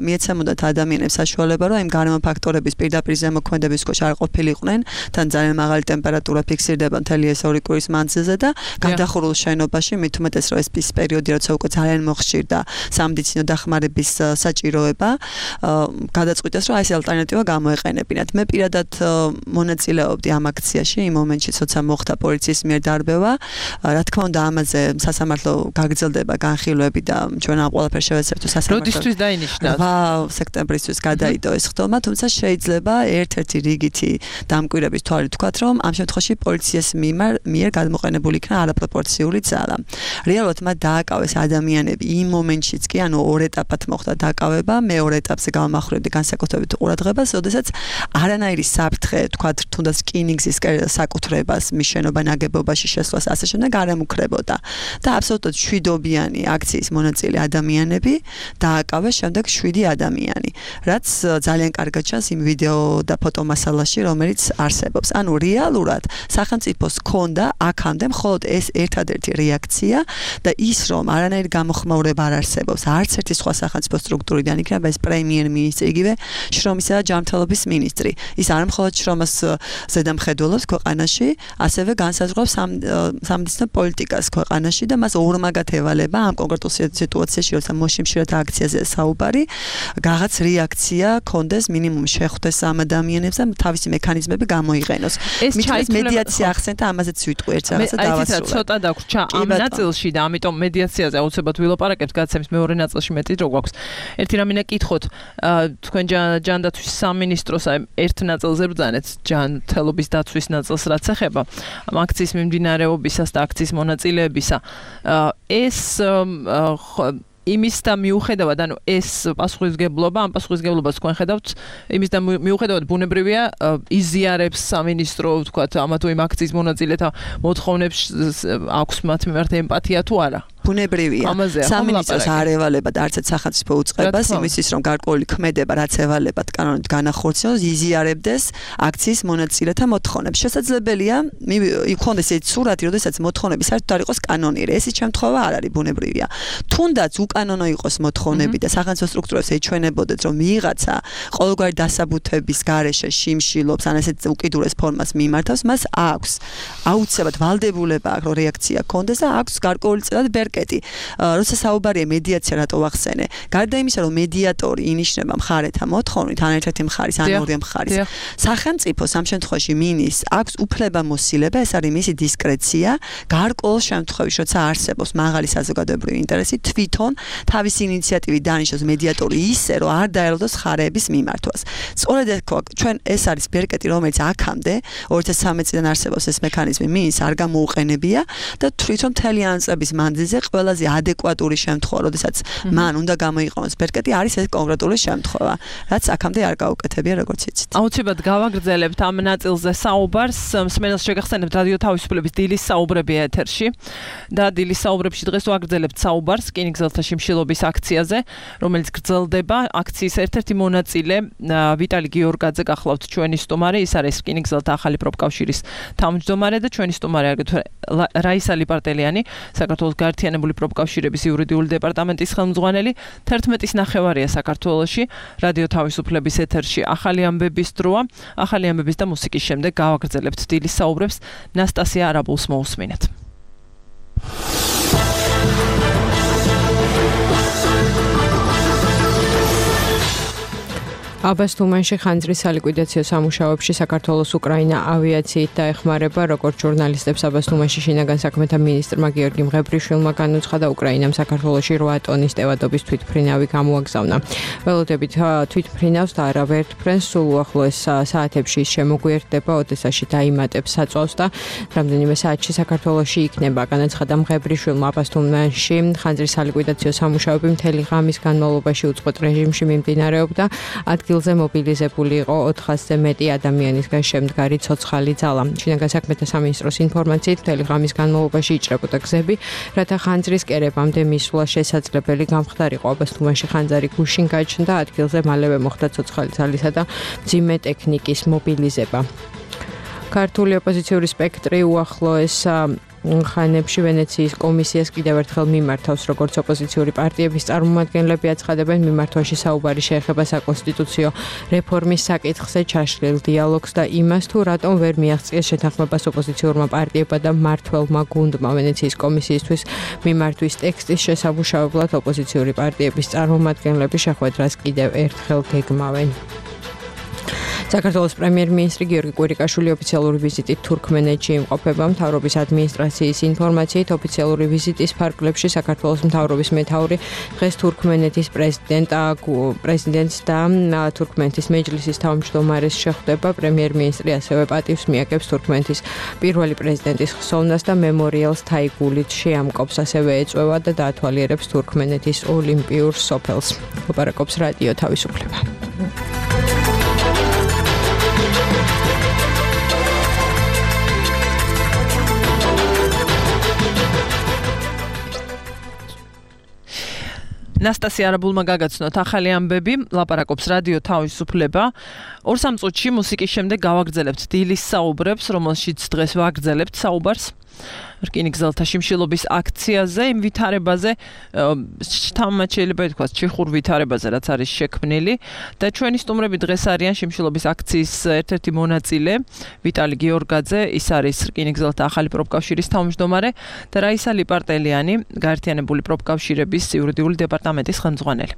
მიეცემოდათ ადამიანებს საშუალება, რომ იმ გარემო ფაქტორების პირდაპირ ზემოქმედების ქვეშ არ ყოფილიყვნენ, თან ძალიან მაღალი ტემპერატურა ფიქსირდება მთელი ეს ორი კვირის მანძილზე და გადახურულ შენობაში, მით უმეტეს რომ ეს პერიოდი, როცა უკვე ძალიან მოხშირდა სამედიცინო დახმარების საჭიროება, გადაწყვიტეს, რომ ეს ალტერნატივა გამოეყენებინათ. მე პირადად მონაწილეობდი ამ აქციაში, იმ მომენტში, როცა მოხდა პოლიციის მიერ დარბევა. რა თქმა უნდა, ამაზე სასამართლო გაგრძელდება განხილვები და ჩვენ ამ ყველაფერს შევეცებთ სასამართლო.
როდისთვის დაინიშნა?
სექტემბრისთვის გადაიდო ეს ხდომა, თუმცა შეიძლება ერთ-ერთი რიგითი დამკვირვების თვალით ვთქვათ, რომ ამ შემთხვევაში პოლიციას მიერ გადმოყენებული იქნა არაპროპორციული ძალა. რეალურად მათ დააკავეს ადამიანები იმ მომენტშიც კი, ანუ ორ ეტაპად მოხდა დაკავება, მეორე ეტაპზე გამახვილებდი განსაკუთრებით ყურადღებას, როდესაც არანაირი საფრთხე, ვთქვათ, თუნდაც რკინიგზის საკუთრებას, მიშენობა ნაგებობაში შესვლას ასე შემდეგ არ ემუქრებოდა. და აბსოლუტურად შვიდობიანი აქციის მონაწილე ადამიანები დააკავეს შემდეგ შვიდი ადამიანი, რაც ძალიან კარგად ჩანს იმ ვიდეო და ფოტომასალაში, რომელიც არსებობს. ანუ რეალურად სახელმწიფოს ჰქონდა აქამდე მხოლოდ ეს ერთადერთი რეაქცია და ის, რომ არანაირი გამოხმაურება არ არსებობს, არც ერთი სხვა სახელმწიფო სტრუქტურიდან, იქნება ეს პრემიერ-მინისტრი, იგივე შრომისა და ჯანმრთელობის მინისტრი. ის არ მხოლოდ შრომას ზედამხედველობს ქვეყანაში, ასევე განსაზღვრავს სამედიცინო პოლიტიკას ქვეყანაში და მას ორმაგად ევალება ამ კონკრეტულ სიტუაციაში, როცა მოშიმშილეთ აქციაზე საუბარი, რაღაც რეაქცია კონდეს, მინიმუმ შეხვდეს ამ ადამიანებს და თავისი მექანიზმები გამოიყენოს. მithmes მედიაცია ახსენდა, ამაზეც ვიტყვი ერთ რაღაცა დავასრულე.
აი, ცოტა დაგვრჩა ამ ნაწილში და ამიტომ მედიაციაზე აუცილებლად ვილაპარაკებთ, გაცემის მეორე ნაწილში მეტი დრო გვაქვს. ერთი რამე ნაკითხოთ, თქვენ ჯანდაცვის სამინისტროს ერთ ნაწილზე ბრძანეთ, ჯანმრთელობის დაცვის ნაწილს რაც ეხება ამ აქციის მიმდინარეობისას და აქციის მონაწილეებისა. ეს იმის და მიუხედავად, ანუ ეს პასუხისმგებლობა, ამ პასუხისმგებლობას თქვენ ხედავთ, იმის და მიუხედავად ბუნებრივია იზიარებს სამინისტრო, ვთქვათ, ამა თუ იმ აქციის მონაწილეთა მოთხოვნებს აქვს მათ მიმართ ემპათია თუ არა?
ბუნებრივია. სამინისტროს არ ევალებათ არც ერთ სახელმწიფო უწყებას იმისთვის, რომ გარკვეული ქმედება, რაც ევალებათ კანონით განახორციელოს, იზიარებდეს აქციის მონაწილეთა მოთხოვნებს. შესაძლებელია იქონდეს ეს სურათი, როდესაც მოთხოვნები საერთოდ არ იყოს კანონიერი. ეს შემთხვევა არ არის ბუნებრივია. თუნდაც უკანონო იყოს მოთხოვნები და სახელმწიფო სტრუქტურებს ეჩვენებოდეთ, რომ ვიღაცა ყოველგვარი დასაბუთების გარეშე შიმშილობს, ან ესეთ უკიდურეს ფორმას მიმართავს, მას აქვს აუცილებლად ვალდებულება აქვს, რომ რეაქცია ჰქონდეს და აქვს გარკვეული წილად კეტი. როცა საუბარია მედიაცია რატო ვახსენე? გარდა იმისა, რომ მედიატორი ინიშნება მხარეთა მოთხოვნით, ან ერთ-ერთი მხარის, ან ორი მხარის. სახელმწიფოს ამ შემთხვევაში მინის აქვს უფლება მოსილება, ეს არის მისი დისკრეცია, გარკვეულ შემთხვევაში, როცა არსებობს მაღალი საზოგადოებრივი ინტერესი, თვითონ თავისი ინიციატივით დანიშნოს მედიატორი ისე, რომ არ დაელოდოს მხარეების მიმართვას. სწორედ ჩვენ ეს არის ბერკეტი, რომელიც აქამდე ორი ათას სამი წლიდან არსებობს ეს მექანიზმი, მინის არ გამოუყენებია და თვითონ მთელი ამ წლების მანძილზე ყველაზე ადეკვატური შემთხვევა, როდესაც მან უნდა გამოიყენოს ბერკეტი, არის ეს კონკრეტული შემთხვევა, რაც აქამდე არ გაუკეთებია, როგორც იცით.
აუცილებლად გავაგრძელებთ ამ ნაწილზე საუბარს. მსმენელს შეგახსენებთ რადიო თავისუფლების დილის საუბრები ეთერში და დილის საუბრებში დღეს ვაგრძელებთ საუბარს რკინიგზელთა შიმშილობის აქციაზე, რომელიც გრძელდება. აქციის ერთ-ერთი მონაწილე ვიტალი გიორგაძე გახლავთ ჩვენი სტუმარი, ის არის რკინიგზელთა ახალი პროფკავშირის თავმჯდომარე და ჩვენი სტუმარი აგრეთვე რაისა ლიპარტელიანი, საქართველოს გაერთიანებული პროფკავშირების იურიდიული დეპარტამენტის ხელმძღვანელი. თერთმეტის ნახევარია საქართველოში რადიო თავისუფლების ეთერში ახალი ამბების დროა. ახალი ამბების და მუსიკის შემდეგ გავაგრძელებთ დილის საუბრებს. ნასტასია არაბულს მოусმინეთ.
აბას თუმანში ხანძრის სალიკვიდაციო სამუშაოებში საქართველოს უკრაინა ავიაციით დაეხმარება, როგორც ჟურნალისტებს აბას თუმანში შინაგან საქმეთა მინისტრმა გიორგი მღებრიშვილმა განუცხადა, უკრაინამ საქართველოში რვა ტონის ტევადობის თვითმფრინავი გამოაგზავნა. ველოდებით თვითმფრინავს და არავერთ ფრენს, სულ უახლოეს საათებში ის შემოგვიერთდება, ოდესაში დაიმატებს საწვავს და რამდენიმე საათში საქართველოში იქნება. განაცხადა მღებრიშვილმა, აბას თუმანში ხანძრის სალიკვიდაციო სამუშაოები მთელი ღამის განმავლობაში უწყვეტ რეჟიმში მიმდინარეობდა. ადგილზე მობილიზებული იყო ოთხასზე მეტი ადამიანისგან შემდგარი ცოცხალი ძალა. შინაგან საქმეთა სამინისტროს ინფორმაციით მთელი ღამის განმავლობაში იჭრებოდა გზები, რათა ხანძრის კერებამდე მისვლა შესაძლებელი გამხდარიყო. აბას თუმანში ხანძარი გუშინ გაჩნდა, ადგილზე მალევე მოხდა ცოცხალი ძალისა და მძიმე ტექნიკის მობილიზება. ქართული ოპოზიციური სპექტრი უახლოეს ხანებში ვენეციის კომისიას კიდევ ერთხელ მიმართავს, როგორც ოპოზიციური პარტიების წარმომადგენლები აცხადებენ, მიმართვაში საუბარი შეეხება საკონსტიტუციო რეფორმის საკითხზე, ჩაშლილ დიალოგს და იმას, თუ რატომ ვერ მიაღწიეს შეთანხმებას ოპოზიციურმა პარტიებმა და მმართველმა გუნდმა. ვენეციის კომისიისთვის მიმართვის ტექსტის შესაბუშავებლად ოპოზიციური პარტიების წარმომადგენლები შეხვედრას კიდევ ერთხელ გეგმავენ. საქართველოს პრემიერ-მინისტრი გიორგი კვირიკაშვილი ოფიციალური ვიზიტით თურქმენეთში იმყოფება. მთავრობის ადმინისტრაციის ინფორმაციით, ოფიციალური ვიზიტის ფარგლებში საქართველოს მთავრობის მეთაური დღეს თურქმენეთის პრეზიდენტ პრეზიდენტს და თურქმენეთის მეჯლისის თავმჯდომარეს შეხვდება. პრემიერ-მინისტრი ასევე პატივს მიაგებს თურქმენეთის პირველი პრეზიდენტის ხსოვნას და მემორიალს თაიგულით შეამკობს, ასევე ეწვევა და დაათვალიერებს თურქმენეთის ოლიმპიურ სოფელს. ლაპარაკობს რადიო თავისუფლება.
ნასტასია არაბულმა გაგაცნოთ ახალი ამბები, ლაპარაკობს რადიო თავისუფლება. ორ სამ წუთში მუსიკის შემდეგ გავაგრძელებთ დილის საუბრებს, რომელშიც დღეს ვაგრძელებთ საუბარს რკინიგზელთა შიმშილობის აქციაზე, იმ ვითარებაზე, თამამად შეიძლება ითქვას, ჩეხურ ვითარებაზე, რაც არის შექმნილი და ჩვენი სტუმრები დღეს არიან შიმშილობის აქციის ერთ-ერთი მონაწილე, ვიტალი გიორგაძე, ის არის რკინიგზელთა ახალი პროფკავშირის თავმჯდომარე და რაისა ლიპარტელიანი, გაერთიანებული პროფკავშირების იურიდიული დეპარტამენტის ხელმძღვანელი.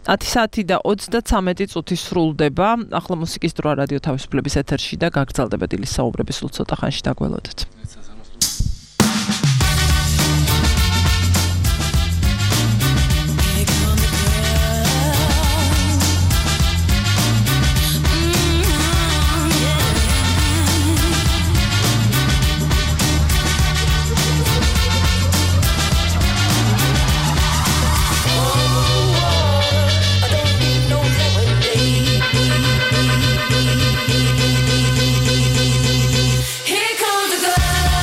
ათი საათი და ოცდაცამეტი წუთი სრულდება. ახლა მუსიკის დროა რადიო თავისუფლების ეთერში და გაგრძელდება დილის საუბრები, სულ ცოტა ხანში დაგველოდეთ.
Here comes the girl.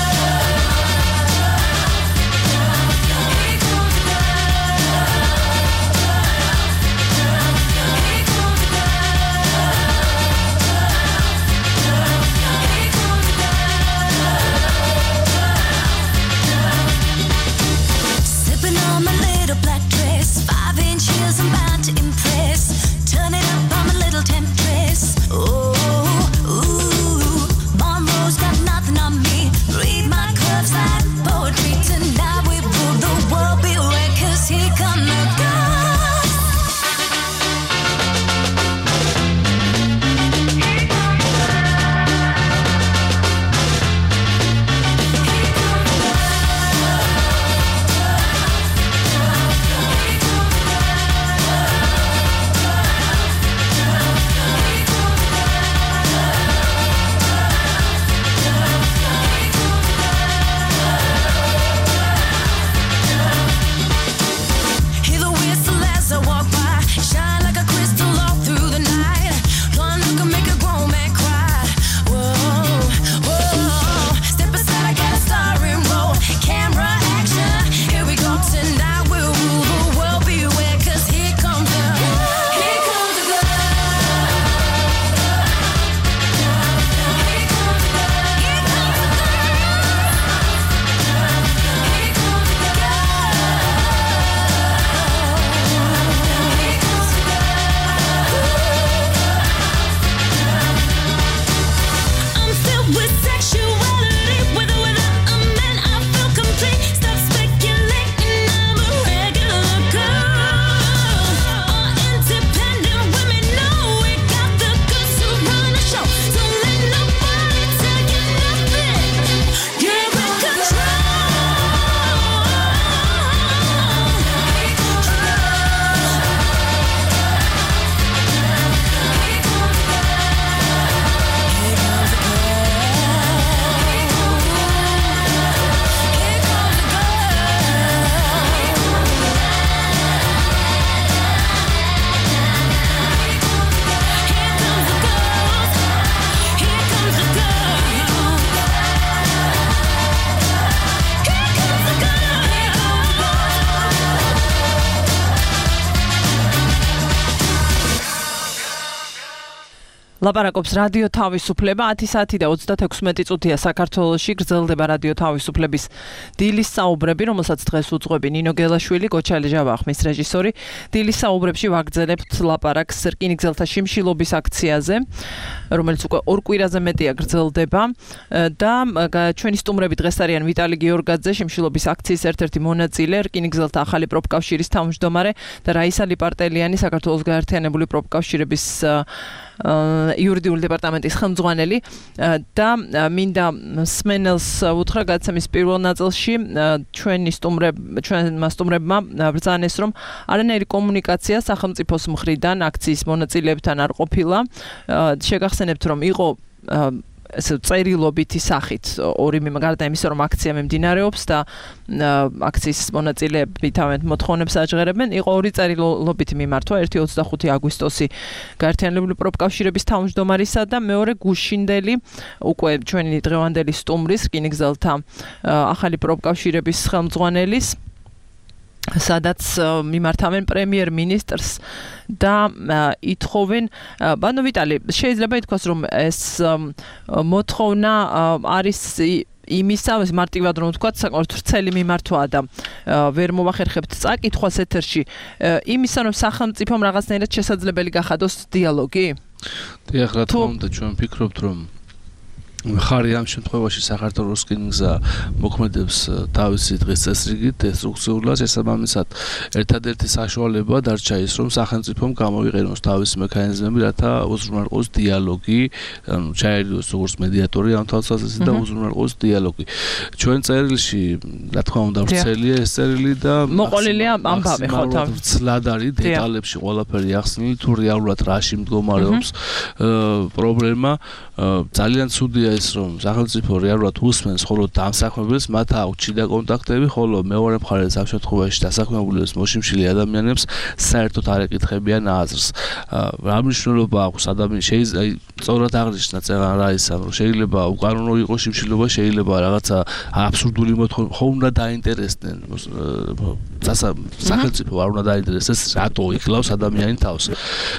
ლაპარაკობს რადიო თავისუფლება ათი საათი და ოცდათექვსმეტი წუთია საქართველოში გრძელდება რადიო თავისუფლების დილის საუბრები, რომელსაც დღეს უძღვები ნინო გელაშვილი, გოჩალი ჟავახმის რეჟისორი. დილის საუბრებში ვაგრძელებთ ლაპარაკს რკინიგზელთა შიმშილობის აქციაზე, რომელიც უკვე ორ კვირაზე მეტია გრძელდება და ჩვენი სტუმრები დღეს არიან ვიტალი გიორგაძე, შიმშილობის აქციის ერთ-ერთი მონაწილე, რკინიგზელთა ახალი პროფკავშირის თავმჯდომარე და რაისა ლიპარტელიანი, საქართველოს გაერთიანებული პროფკავშირების იურიდიული დეპარტამენტის ხელმძღვანელი და მინდა სმენელს უთხრა გადაცემის პირველ ნაწილში ჩვენი სტუმრები ჩვენმა სტუმრებმა ბრძანეს რომ არანაირი კომუნიკაცია სახელმწიფოს მხრიდან აქციის მონაწილეებთან არ ყოფილა. შეგახსენებთ რომ იყო ესე წერილობითი სახით ორი გარდა იმისა რომ აქცია მიმდინარეობს და აქციის მონაწილეები თავიანთ მოთხოვნებს აჟღერებენ, იყო ორი წერილობითი მიმართვა, ერთი ოცდახუთი აგვისტოსი გაერთიანებული პროფკავშირების თავმჯდომარისა და მეორე გუშინდელი უკვე ჩვენი დღევანდელი სტუმრის რკინიგზელთა ახალი პროფკავშირების ხელმძღვანელის, სადაც მიმართავენ პრემიერ-მინისტრს და ითხოვენ, ბანო ვიტალი, შეიძლება ითქვას რომ ეს მოთხოვნა არის იმისა, მარტივად რომ ვთქვათ, საკმაოდ ვრცელი მიმართვაა და ვერ მოვახერხებთ წაკითხვას ეთერში, იმისა რომ სახელმწიფომ რაღაცნაირად შესაძლებელი გახადოს დიალოგი?
დიახ, რა თქმა უნდა, ჩვენ ვფიქრობთ რომ ხარი ამ შემთხვევაში საქართველოს რკინიგზა მოქმედებს თავისი დღის წესრიგით, დესტრუქციულად, შესაბამისად ერთადერთი საშუალება დარჩა ის, რომ სახელმწიფომ გამოვიყენოს თავისი მექანიზმები, რათა უზრუნველყოს დიალოგი, ანუ ჩაერიოს როგორც მედიატორი ამ თვალსაზრისით და უზრუნველყოს დიალოგი. ჩვენ წერილში, რა თქმა უნდა, ვრცელია ეს წერილი და
მოყოლილია ამბავი ხო თავი.
ცლად არის დეტალებში ყველაფერი ახსნილი, თუ რეალურად რაში მდგომარეობს პრობლემა, ძალიან ცუდია ის რომ სახელმწიფო რეალურად უსმენს მხოლოდ დამსაქმებელს, მათ აქვთ შიდა კონტაქტები, ხოლო მეორე მხარეს ამ შემთხვევაში დასაქმებულებს მოშიმშილი ადამიანებს საერთოდ არ ეკითხებიან აზრს. რა მნიშვნელობა აქვს ადამიანს შეიძლება სწორად აღნიშნა წეღან რა ის ამ შეიძლება უკანონო იყოს შიმშილობა, შეიძლება რაღაცა აბსურდული მოთხოვნა, ხო უნდა დაინტერესდნენ სახელმწიფო არ უნდა დაინტერესდეს რატო იკლავს ადამიანი თავს.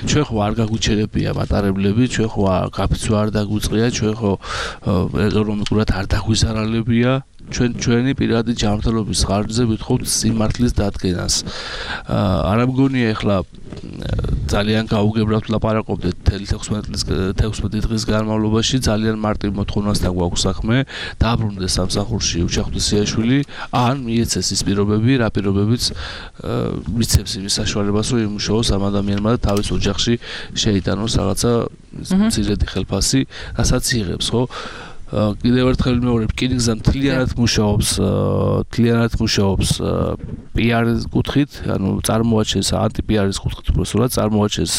ჩვენ ხო არ გაგვიჩერებია მატარებლები, ჩვენ ხო გაფიცვა არ დაგვიწყია, ჩვენ ხო ეკონომიკურად არ დაგვიზარალებია, ჩვენ ჩვენი პირადი ჯანმრთელობის ხარჯზე ვითხოვთ სიმართლის დადგენას. არ მგონია ახლა ძალიან გაუგებრად ლაპარაკობდეთ თექვსმეტი დღის განმავლობაში, ძალიან მარტივ მოთხოვნასთან გვაქვს საქმე, დაბრუნდეს სამსახურში უჩახტვისიაშვილი, ან მიეცეს ის პირობები, რა პირობებიც მიცემს იმის საშუალებას, რომ იმუშაოს ამ ადამიანმა და თავის ოჯახში შეიტანოს რაღაცა მცირედი ხელფასი, რასაც იღებს, ხო? კიდევ ერთხელ მეორე რკინიგზა მთლიანად მუშაობს, მთლიანად მუშაობს პიარის კუთხით, ანუ წარმოაჩენს ანტი-პიარის კუთხით უბრალოდ წარმოაჩენს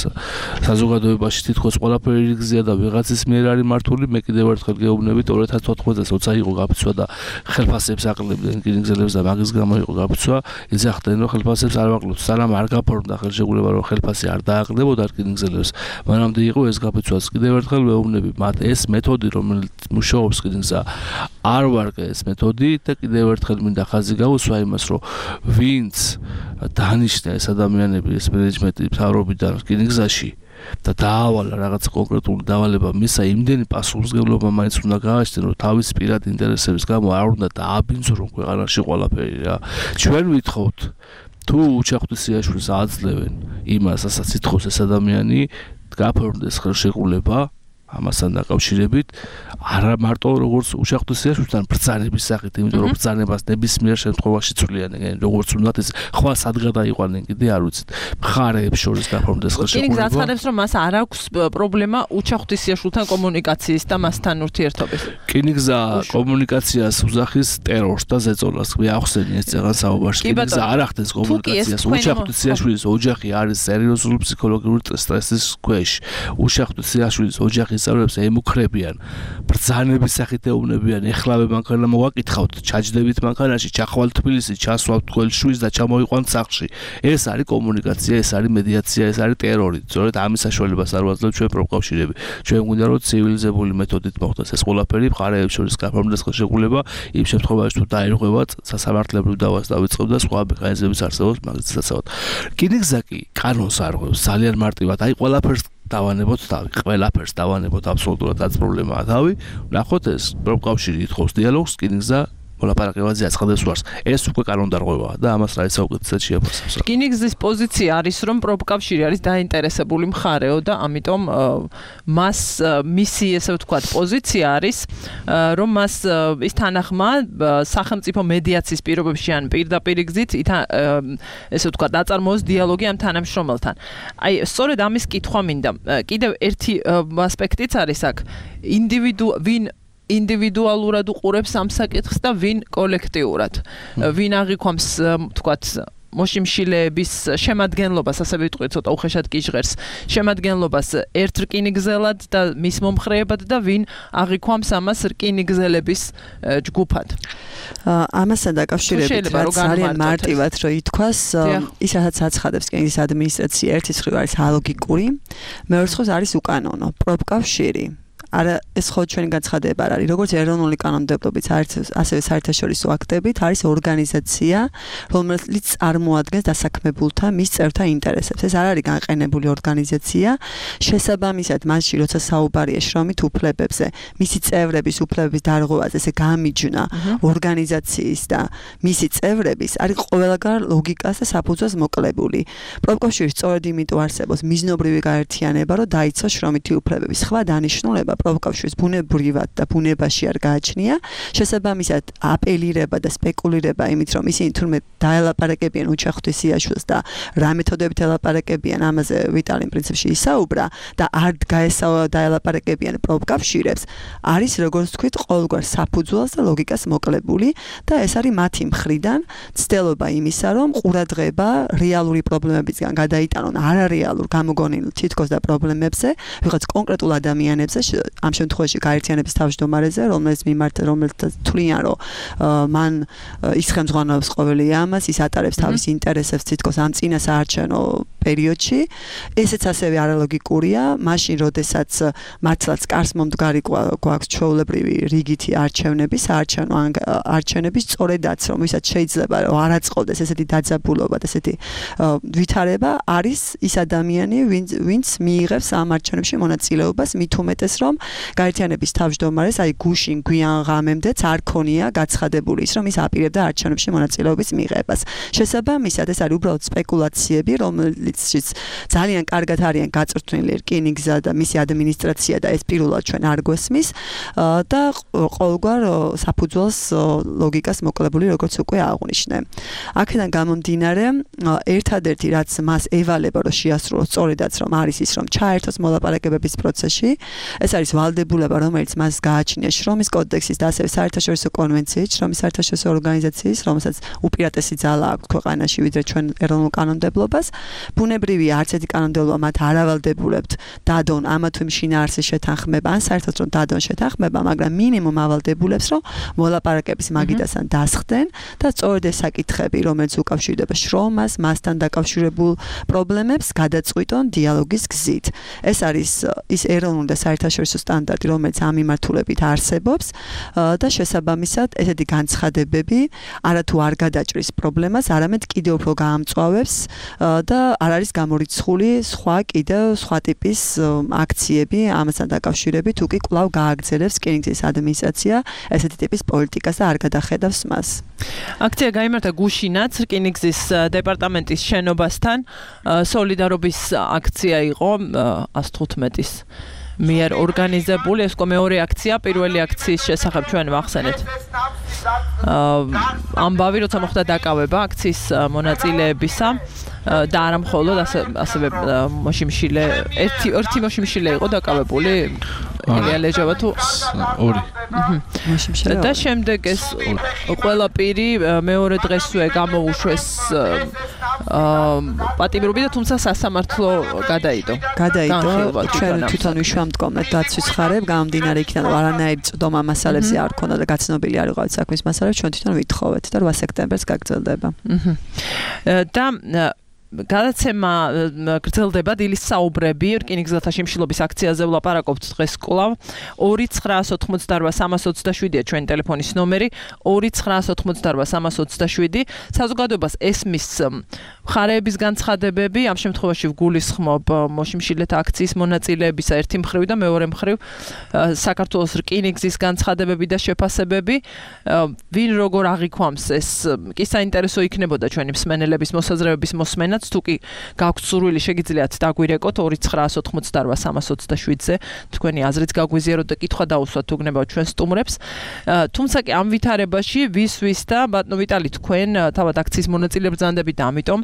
საზოგადოებაში თითქოს ყველაფერი რიგზია და ვიღაცის მიერ არის მართული. მე კიდევ ერთხელ გეუბნებით ორ ათას თოთხმეტ წელს როცა იყო გაფიცვა და ხელფასებს აყლებდნენ რკინიგზელებს და მაგის გამო იყო გაფიცვა, იძახდნენ რომ ხელფასებს არ ვაყლებთ, სანამ არ გაფორმდა ხელშეკრულება რომ ხელფასი არ დააყრდებოდა რკინიგზელებს. მანამდე იყო ეს გაფიცვაც. კიდევ ერთხელ ვეუბნები მათ ეს მეთოდი რომელიც მუშაობს რკინიგზა არ ვარგა ეს მეთოდი და კიდევ ერთხელ მინდა ხაზი გავუსვა იმას რომ ვინც დანიშნა ეს ადამიანები ეს მენეჯმენტი მთავრობიდან რკინიგზაში და დაავალა რაღაც კონკრეტული დავალება მისა იმდენი პასუხისმგებლობა მაინც უნდა გააჩნდეს რომ თავის პირადი ინტერესების გამო არ უნდა დააბინძურონ ქვეყანაში ყველაფერი რა. ჩვენ ვითხოვთ თუ უჩახტვისიაშვილს აძლევენ იმას ასაც ითხოვს ეს ადამიანი გაფორმდეს ხელშეკრულება ამასთან დაკავშირებით არა მარტო როგორც უჩახტვისიაშვილთან ბრძანების სახით, იმიტომ რომ ბრძანებას ნებისმიერ შემთხვევაში ცვლიან, როგორც უნდათ ეს ხვალ სად გადაიყვანენ კიდე არ ვიცით. მხარეებს შორის გაფორმდეს ხელშეკრულება.
რკინიგზა აცხადებს რომ მას არ აქვს პრობლემა უჩახტვისიაშვილთან კომუნიკაციის და მასთან ურთიერთობის.
რკინიგზა კომუნიკაციას უძახის ტერორს და ზეწოლას. მე ახსენე ეს წეღან საუბარში. რკინიგზა არ ახდენს კომუნიკაციას. უჩახტვისიაშვილის ოჯახი არის სერიოზული ფსიქოლოგიური სტრესის ქვეშ. უჩახტვისიაშვილის ოჯახი სწავლებს ემუქრებიან, ბრძანების სახით ეუბნებიან, ეხლავე მანქანა მოვაკითხავთ, ჩაჯდებით მანქანაში, ჩახვალთ თბილისში, ჩასვავთ თქვენ შვილს და ჩამოიყვანთ სახლში. ეს არის კომუნიკაცია, ეს არის მედიაცია, ეს არის ტერორი. სწორედ ამის საშუალებას არ ვაძლევთ ჩვენ პროფკავშირები. ჩვენ გვინდა რომ ცივილიზებული მეთოდით მოხდეს ეს ყველაფერი, მხარეებს შორის გაფორმდეს ხელშეკრულება, იმ შემთხვევაში თუ დაირღვევა სასამართლებლო დავას დავიწყებ და სხვა მექანიზმების არსებობს მაგის შესაძლებლად. რკინიგზა კი კანონს არღვევს ძალიან მარტივად. აი ყველაფერს დავანებოთ თავი, ყველაფერს დავანებოთ აბსოლუტურად რაც პრობლემაა თავი. ნახოთ ეს პროფკავშირი ითხოვს დიალოგს, რკინიგზა მოლაპარაკებაზე აცხადებს ვარს. ეს უკვე კანონდარღვევაა და ამას რა ისაუკეთესად შეაფასებს.
რკინიგზის პოზიცია არის, რომ პროფკავშირი არის დაინტერესებული მხარეო და ამიტომ მას მისი ესე ვთქვათ პოზიცია არის, რომ მას ის თანახმა სახელმწიფო მედიაციის პირობებში ან პირდაპირ გზით ესე ვთქვათ აწარმოოს დიალოგი ამ თანამშრომელთან. აი, სწორედ ამის კითხვა მინდა. კიდევ ერთი ასპექტიც არის აქ. ინდივიდუ ვინ ინდივიდუალურად უყურებს ამ საკითხს და ვინ კოლექტიურად. ვინ აღიქვამს, თქვათ, მოშიმშილეების შემადგენლობას, ასე ვიტყვი, ცოტა უხეშად გიჟღერს, შემადგენლობას ერთ რკინიგზელად და მის მომხრეებად და ვინ აღიქვამს ამას რკინიგზელების ჯგუფად.
ამასთან დაკავშირებით რაც ძალიან მარტივად რო ითქვას, ის რასაც აცხადებს რკინიგზის ადმინისტრაცია, ერთის მხრივ არის ალოგიკური, მეორე მხრივ არის უკანონო. პროფკავშირი არა ეს ხო ჩვენი განცხადება არ არის როგორც ეროვნული კანონმდებლობით ასევე საერთაშორისო აქტებით არის ორგანიზაცია რომელიც წარმოადგენს დასაქმებულთა მის წევრთა ინტერესებს ეს არ არის განყენებული ორგანიზაცია შესაბამისად მასში როცა საუბარია შრომით უფლებებზე მისი წევრების უფლებების დარღვევაზე ესე გამიჯნა ორგანიზაციის და მისი წევრების არის ყველგან ლოგიკას და საფუძველს მოკლებული პროფკავშირი სწორედ იმიტომ არსებობს მიზნობრივი გაერთიანება რომ დაიცვას შრომითი უფლებები სხვა დანიშნულება პროფკავშირის ბუნებრივად და ბუნებაში არ გააჩნია შესაბამისად აპელირება და სპეკულირება იმით რომ ისინი თურმე დაელაპარაკებიან უჩახვის სიაშვილს და რა მეთოდებით ელაპარაკებიან ამაზე ვიტალიმ პრინციპში ისაუბრა და არ გაესავა დაელაპარაკებიან პროფკავშირებს არის როგორც თქვით ყოველგვარ საფუძველს და ლოგიკას მოკლებული და ეს არის მათი მხრიდან ცდელობა იმისა რომ ყურადღება რეალური პრობლემებისგან გადაიტანონ არარეალურ გამოგონილ თითქოს და პრობლემებზე ვიღაც კონკრეტულ ადამიანებზე ამ შემთხვევაში გაერთიანების თავმჯდომარეზე რომელს მიმართ რომელთა თვლიან რომ მან ის ხელმძღვანელობს ყოველი ამას ის ატარებს თავის ინტერესებს თითქოს ამ წინა საარჩევნო პერიოდში ესეც ასევე არალოგიკურია მაშინ როდესაც მართლაც კარს მომდგარი გვაქვს ჩვეულებრივი რიგითი არჩევნები საარჩევნო არჩევნები სწორედაც რომ ვისაც შეიძლება რომ არ აწყობდეს ესეთი დაძაბულობა და ესეთი ვითარება არის ის ადამიანი ვინც მიიღებს ამ არჩევნებში მონაწილეობას მით უმეტეს რომ გაერთიანების თავმჯდომარეს აი გუშინ გვიან ღამემდეც არ ქონია გაცხადებული ის რომ ის აპირებდა არჩევნებში მონაწილეობის მიღებას შესაბამისად ეს არის უბრალოდ სპეკულაციები რომელიციც ძალიან კარგად არიან გაწვრთნილი რკინიგზა და მისი ადმინისტრაცია და ეს პირველად ჩვენ არ გვესმის და ყოველგვარ საფუძველს ლოგიკას მოკლებული როგორც უკვე აღვნიშნე აქედან გამომდინარე ერთადერთი რაც მას ევალება რომ შეასრულოს სწორედაც რომ არის ის რომ ჩაერთოს მოლაპარაკებების პროცესში ეს არის ვალდებულება რომელიც მას გააჩნია შრომის კოდექსის და ასევე საერთაშორისო კონვენციის შრომის საერთაშორისო ორგანიზაციის რომელსაც უპირატესი ძალა აქვს ქვეყანაში ვიდრე ჩვენ ეროვნულ კანონმდებლობას ბუნებრივია არც ერთი კანონმდებლობა მათ არ ავალდებულებთ დადონ ამა თუ იმ შინაარსის შეთანხმება ან საერთოდ რომ დადონ შეთანხმება მაგრამ მინიმუმ ავალდებულებს რომ მოლაპარაკების მაგიდასთან დასხდნენ და სწორედ ეს საკითხები რომელიც უკავშირდება შრომას მასთან დაკავშირებულ პრობლემებს გადაწყვიტონ დიალოგის გზით ეს არის ის ეროვნული და საერთაშორისო სტანდარტი რომელიც ამ მიმართულებით არსებობს და შესაბამისად ესეთი განცხადებები არათუ არ გადაჭრის პრობლემას არამედ კიდევ უფრო გაამწვავებს და არ არის გამორიცხული სხვა კიდევ სხვა ტიპის აქციები ამასთან დაკავშირებით თუ კი კვლავ გააგრძელებს რკინიგზის ადმინისტრაცია ესეთი ტიპის პოლიტიკას და არ გადახედავს მას
აქცია გაიმართა გუშინაც რკინიგზის დეპარტამენტის შენობასთან სოლიდარობის აქცია იყო ას თხუთმეტის მიერ ორგანიზებული ეს მეორე აქცია პირველი აქციის შესახებ ჩვენ ვახსენეთ ამბავი როცა მოხდა დაკავება აქციის მონაწილეებისა და არა მხოლოდ ასევე მოშიმშილე ერთი ერთი მოშიმშილე იყო დაკავებული ელია ლეჟავა თუ
ორი
მოშიმშილე და შემდეგ ეს ყველაფერი მეორე დღესვე გამოუშვეს პატიმრობი და თუმცა სასამართლო გადაიდო
გადაიდო ჩვენ თვითონ ვიშვამდგომლეთ დაცვის ხარებ გამომდინარე იქიდან რომ არანაირი წვდომა მასალებზე არ ქონდა და გაცნობილი არ იყო საქმის მასალებს ჩვენ თვითონ ვითხოვეთ და რვა სექტემბერს გაგრძელდება
და გადაცემა გრძელდება დილის საუბრები რკინიგზელთა შიმშილობის აქციაზე ვლაპარაკობთ დღეს კვლავ ორი ცხრაას ოთხმოცდარვა სამას ოცდაშვიდია ჩვენი ტელეფონის ნომერი ორი ცხრაას ოთხმოცდარვა სამას ოცდაშვიდი საზოგადოებას ესმის მხარეების განცხადებები ამ შემთხვევაში ვგულისხმობ მოშიმშილეთა აქციის მონაწილეებისა ერთი მხრივ და მეორე მხრივ საქართველოს რკინიგზის განცხადებები და შეფასებები ვინ როგორ აღიქვამს ეს კი საინტერესო იქნებოდა ჩვენი მსმენელების მოსაზრებების მოსმენაც თუ კი გაქვთ სურვილი შეგიძლიათ დაგვირეკოთ ორი ცხრაას ოთხმოცდარვა სამას ოცდაშვიდზე თქვენი აზრით გაგვიზიაროთ და კითხვა დაუსვათ თუ გნებავთ ჩვენ სტუმრებს თუმცა კი ამ ვითარებაში ვის ვის და ბატონო ვიტალი თქვენ თავად აქციის მონაწილე ბრძანდებით და ამიტომ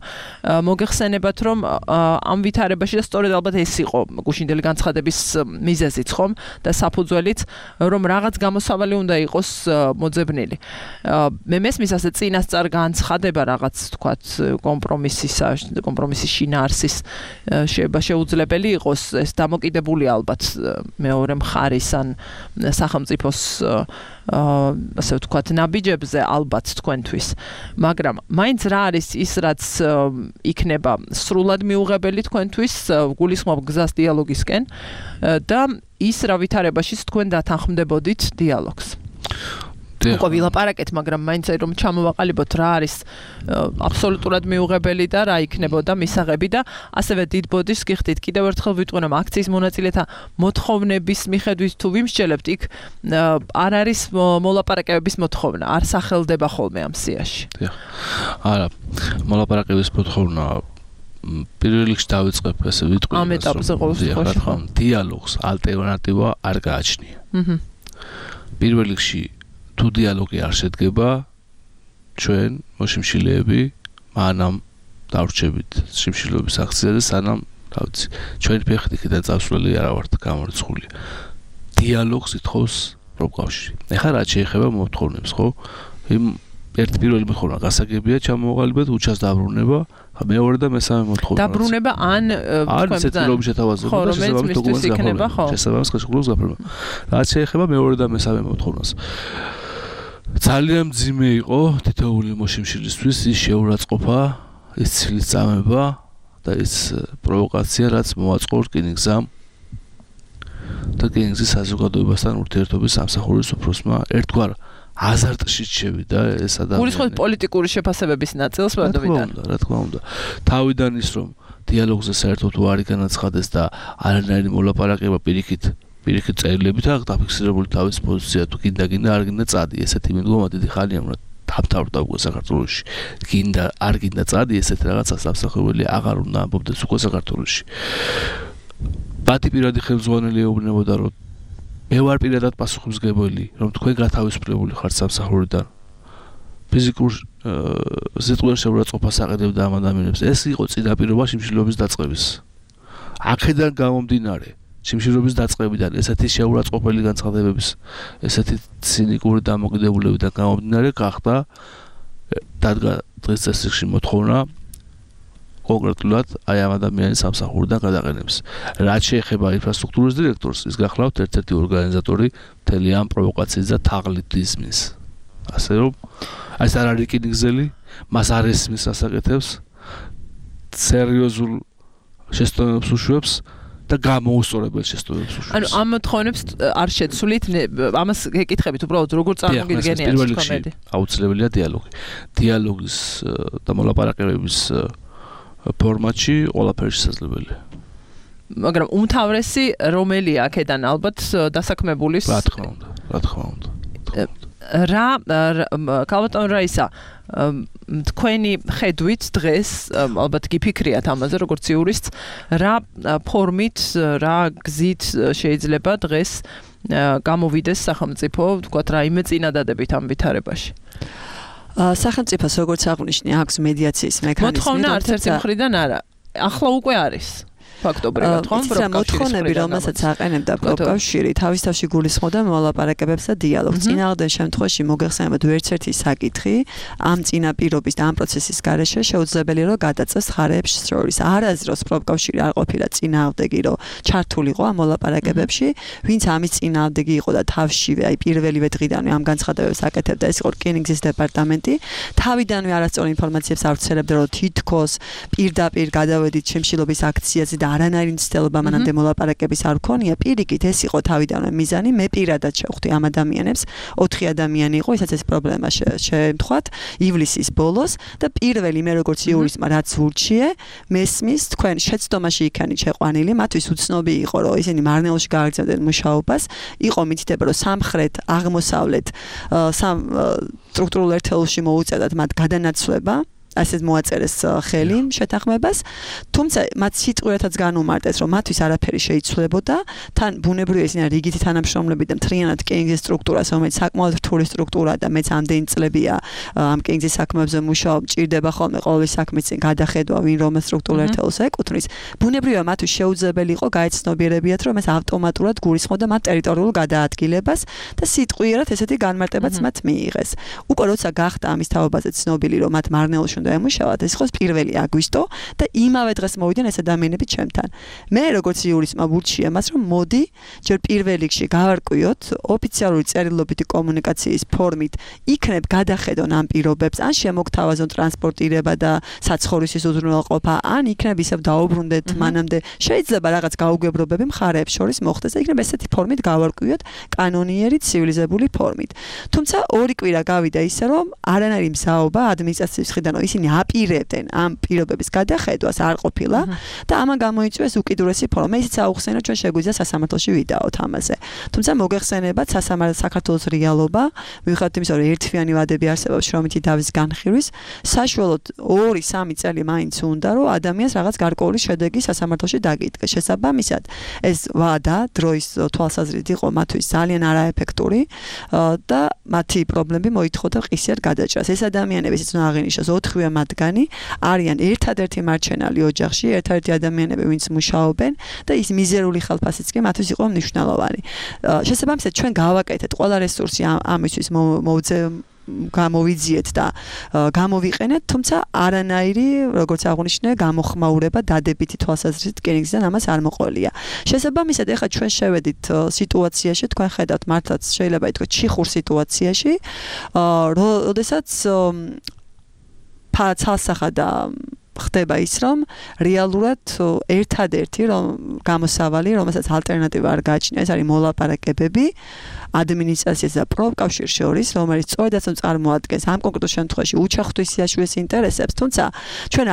მოგეხსენებათ რომ ამ ვითარებაში და სწორედ ალბათ ეს იყო გუშინდელი განცხადების მიზეზიც ხომ და საფუძველიც რომ რაღაც გამოსავალი უნდა იყოს მოძებნილი მე მესმის ასე წინასწარ განცხადება რაღაც თქვათ კომპრომისისა კომპრომისის შინაარსის შეიძლება შეუძლებელი იყოს ეს დამოკიდებული ალბათ მეორე მხარის ან სახელმწიფოს ასე ვთქვათ ნაბიჯებზე ალბათ თქვენთვის მაგრამ მაინც რა არის ის რაც იქნება სრულად მიუღებელი თქვენთვის გულისხმობ გზას დიალოგისკენ და ის რა ვითარებაშიც თქვენ დათანხმდებოდით დიალოგს უკვე ვილაპარაკეთ მაგრამ მაინც რომ ჩამოვაყალიბოთ რა არის აბსოლუტურად მიუღებელი და რა იქნებოდა მისაღები და ასევე დიდ ბოდიშს გიხდით კიდევ ერთხელ ვიტყვი რომ აქციის მონაწილეთა მოთხოვნების მიხედვით თუ ვიმსჯელებთ იქ არ არის მოლაპარაკებების მოთხოვნა არ სახელდება ხოლმე ამ სიაში
არა მოლაპარაკების მოთხოვნა პირველ რიგში დავიწყებ ესე ვიტყვი
ამ ეტაპზე ყოველ შემთხვევაში ხო
დიალოგს ალტერნატივა არ გააჩნია პირველ რიგში თუ დიალოგი არ შედგება ჩვენ მოშიმშილეები მანამ დავრჩებით შიმშილობის აქციაზე სანამ რა ვიცი ჩვენი ფეხით იქიდან წავსვლელი არა ვართ გამორიცხული დიალოგს ითხოვს პროფკავშირი ეხლა რა შეეხება მოთხოვნებს ხო იმ ერთი პირველი მოთხოვნა გასაგებია ჩამოუყალიბეთ უჩას დაბრუნება მეორე და მესამე მოთხოვნა
დაბრუნება ან
თქვენ ცდილობთ შეთავაზებულ და შესაბამის დოკუმენტს გაფორმება შესაბამის ხელშეკრულებას გაფორმება რაც შეეხება მეორე და მესამე მოთხოვნას ძალიან მძიმე იყო თითოეული მოშიმშილისთვის ის შეურაცხყოფა ის ცილის წამება და ის პროვოკაცია რაც მოაწყო რკინიგზამ და რკინიგზის საზოგადოებასთან ურთიერთობის სამსახურის უფროსმა ერთგვარ აზარტში შევიდა ეს ადამიანი
გულისხმობთ პოლიტიკური შეფასებების ნაწილს ბატონიდან
რა თქმა უნდა თავიდან ის რომ დიალოგზე საერთოდ უარი განაცხადეს და არანაირი მოლაპარაკება პირიქით პირიქით წერილებით აქვს დაფიქსირებული თავის პოზიცია თუ კიდე კიდე არ გინდა წადი ესეთი მიდგომა დიდი ხანია რომ თავთავრდა უკვე საქართველოში გინდა არ გინდა წადი ესეთ რაღაცას სამსახურელი აღარ უნდა ამბობდეს უკვე საქართველოში ბატი პირადი ხელმძღვანელი ეუბნებოდა რომ მე ვარ პირადად პასუხისმგებელი რომ თქვენ გათავისუფლებული ხართ სამსახურიდან ფიზიკურ ზეწყვეტ შეურაცხყოფას აყენებდა ამ ადამიანებს ეს იყო წინაპირობა შიმშილობის დაწყების აქედან გამომდინარე შიმშილობის დაწყებიდან ესეთი შეურაცხყოფელი განცხადებების ესეთი ცინიკური დამოკიდებულებიდან გამომდინარე გახდა დადგა დღეს წესრიგში მოთხოვნა კონკრეტულად აი ამ ადამიანის სამსახურიდან გადაყენებს რაც შეეხება ინფრასტრუქტურის დირექტორს ის გახლავთ ერთ-ერთი ორგანიზატორი მთელი ამ პროვოკაციის და თაღლითიზმის ასე რომ აი ეს არ არის რკინიგზელი მას არ ესმის ასაკეთებს სერიოზულ შეცდომებს უშვებს და გამოუსწორებელ შეცდომებს უშვებს.
ანუ ამ მოთხოვნებს არ შეცვლით, ამას გეკითხებით უბრალოდ როგორ წარმოგიდგენიათ თქვენ?
აუცილებელია დიალოგი. დიალოგის და მოლაპარაკებების ფორმატში ყველაფერი შესაძლებელია.
მაგრამ უმთავრესი რომელია აქედან ალბათ დასაქმებულის
რა თქმა უნდა, რა თქმა უნდა.
რა კალბატონ რაისა თქვენი ხედვით დღეს ალბათ გიფიქრიათ ამაზე როგორც იურისტს რა ფორმით რა გზით შეიძლება დღეს გამოვიდეს სახელმწიფო თქვათ რაიმე წინადადებით ამ ვითარებაში
სახელმწიფოს როგორც აღნიშნე აქვს მედიაციის მექანიზმი
მოთხოვნა არც ერთი მხრიდან არა ახლა უკვე არის ფაქტობრივად ხომ
პროფკავშირი რომელსაც აყენებდა პროფკავშირი თავის თავში გულისხმობდა მოლაპარაკებებს და დიალოგს წინააღმდეგ შემთხვევაში მოგეხსენებათ ვერც ერთი საკითხი ამ წინაპირობის და ამ პროცესის გარეშე შეუძლებელი რომ გადაწეს ხარებს შორის არაზროს პროფკავშირი არ ყოფილა წინააღმდეგი რომ ჩართულიყო ამ მოლაპარაკებებში ვინც ამის წინააღმდეგი იყო და თავშივე აი პირველივე დღიდანვე ამ განცხადებებს აკეთებდა ეს იყო რკინიგზის დეპარტამენტი თავიდანვე არასწორი ინფორმაციებს ავრცელებდა რომ თითქოს პირდაპირ გადავედით შემშილობის აქციაზე და არანაირი მცდელობა მანამდე მოლაპარაკების არ ქონია პირიქით ეს იყო თავიდანვე მიზანი მე პირადად შევხვდი ამ ადამიანებს ოთხი ადამიანი იყო ისაც ეს პრობლემა შემთხვათ ივლისის ბოლოს და პირველი მე როგორც იურისტმა რაც ურჩიე მესმის თქვენ შეცდომაში იქანით შეყვანილი მათთვის უცნობი იყო რომ ისინი მარნეულში გააგრძელებდნენ მუშაობას იყო მითითება რომ სამხრეთ აღმოსავლეთ სამ სტრუქტურულ ერთეულში მოუწევდათ მათ გადანაცვლება ასეთ მოაწერეს ხელი შეთანხმებას თუმცა მათ სიტყვიათაც განუმარტეს რომ მათთვის არაფერი შეიცვლებოდა თან ბუნებრივია ისინი რიგითი თანამშრომლები და მთლიანად კენგის სტრუქტურას რომელიც საკმაოდ რთული სტრუქტურაა და მეც ამდენი წლებია ამ კენგის საქმეებზე მუშაობ ჭირდება ხოლმე ყოველი საქმის წინ გადახედვა ვინ რომელ სტრუქტურულ ერთეულს ეკუთვნის ბუნებრივია მათთვის შეუძლებელი იყო გაეცნობიერებიათ რომ ეს ავტომატურად გულისხმობდა მათ ტერიტორიულ გადაადგილებას და სიტყვიერად ესეთი განმარტებაც მათ მიიღეს უკვე როცა გახდა ამის თაობაზე ცნობილი რომ მათ მარნეულში ემუშავათ ეს იყოს პირველი აგვისტო და იმავე დღეს მოვიდნენ ეს ადამიანები ჩემთან. მე როგორც იურისტმა ვურჩია მას რომ მოდი ჯერ პირველ რიგში გავარკვიოთ ოფიციალური წერილობითი კომუნიკაციის ფორმით იქნებ გადახედონ ამ პირობებს ან შემოგთავაზონ ტრანსპორტირება და საცხოვრისის უზრუნველყოფა ან იქნებ ისევ დაუბრუნდეთ მანამდე შეიძლება რაღაც გაუგებრობები მხარეებს შორის მოხდეს და იქნებ ესეთი ფორმით გავარკვიოთ კანონიერი ცივილიზებული ფორმით. თუმცა ორი კვირა გავიდა ისე რომ არანაირი მზაობა ადმინისტრაციის მხრიდან ისინი აპირებდნენ ამ პირობების გადახედვას არ ყოფილა და ამან გამოიწვიეს უკიდურესი ფორმა. მე ისიც აუხსენე ჩვენ შეგვიძლია სასამართლოში ვიდაოთ ამაზე. თუმცა მოგეხსენებათ სასამართლო საქართველოს რეალობა, მიუხედავად იმისა, რომ ერთთვიანი ვადები არსებობს შრომითი დავის განხილვის, საშუალოდ ორი სამი წელი მაინც უნდა რომ ადამიანს რაღაც გარკვეული შედეგი სასამართლოში დაგიდგეს. შესაბამისად, ეს ვადა დროის თვალსაზრისით იყო მათთვის ძალიან არაეფექტური და მათი პრობლემები მოითხოვდა ყისიერ გადაჭრას. ეს ადამიანები ისიც უნდა აღინიშნოს ოთხივე მათგანი არიან ერთადერთი მარჩენალი ოჯახში, ერთადერთი ადამიანები, ვინც მუშაობენ და ის მიზერული ხელფასიც კი მათთვის იყო მნიშვნელოვანი. შესაბამისად, ჩვენ გავაკეთეთ ყველა რესურსი ამისთვის მოვძე გამოვიძიეთ და გამოვიყენეთ, თუმცა არანაირი, როგორც აღნიშნე, გამოხმაურება დადებითი თვალსაზრისით კენიგზიდან ამას არ მოყოლია. შესაბამისად, ეხლა ჩვენ შევედით სიტუაციაში, თქვენ ხედავთ მართლაც შეიძლება ითქვას ჩიხურ სიტუაციაში, როდესაც ცალსახა და ხდება ის რომ რეალურად ერთადერთი რომ გამოსავალი, რომელსაც ალტერნატივა არ გააჩნია, ეს არის მოლაპარაკებები ადმინისტრაციას და პროფკავშირს შორის, რომელიც სწორედაც წარმოადგენს ამ კონკრეტულ შემთხვევაში უჩახთვის სიაშუეს ინტერესებს, თუმცა ჩვენ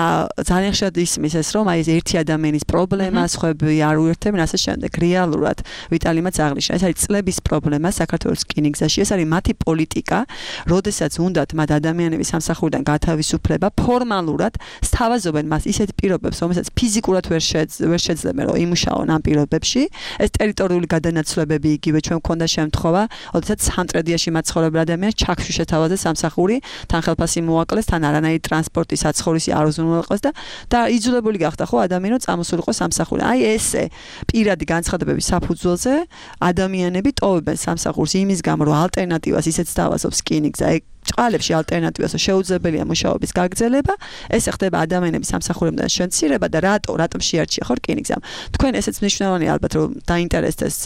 ძალიან ხშირად ისმის ეს რომ აი ეს ერთი ადამიანის პრობლემა, სხვები არ უერთდებენ ასე შემდეგ. რეალურად ვიტალიმაც აღნიშნა, ეს არის წლების პრობლემა საქართველოს რკინიგზაში, ეს არის მათი პოლიტიკა, როდესაც უნდათ მათ ადამიანების სამსახურიდან გათავისუფლება, ფორმალურად სთავაზობენ მას ისეთ პირობებს, რომელსაც ფიზიკურად ვერ ვერ შეძლებენ რომ იმუშაონ ამ პირობებში. ეს ტერიტორიული გადანაცვლებები იგივე ჩვენ მქონდა შემთხვევა ოდესაც სამტრედიაში მაცხოვრებელ ადამიანს ჩაქვში შეთავაზეს სამსახური, თან ხელფასი მოაკლეს, თან არანაირი ტრანსპორტი, საცხოვრისი არ უზრუნველყოს და და იძულებული გახდა ხო ადამიანი წამოსულიყო სამსახური. აი ესე პირადი განცხადებების საფუძველზე ადამიანები ტოვებენ სამსახურს იმის გამო, რომ ალტერნატივას ისეც თავაზობს რკინიგზა. ჭყალებში ალტერნატივას შეუძლებელია მუშაობის გაგრძელება, ეს ხდება ადამიანების სამსახურებიდან შემცირება და რატო, რატომ შეარჩია ხო რკინიგზამ. თქვენ ესეც მნიშვნელოვანია ალბათ რომ დაინტერესდეს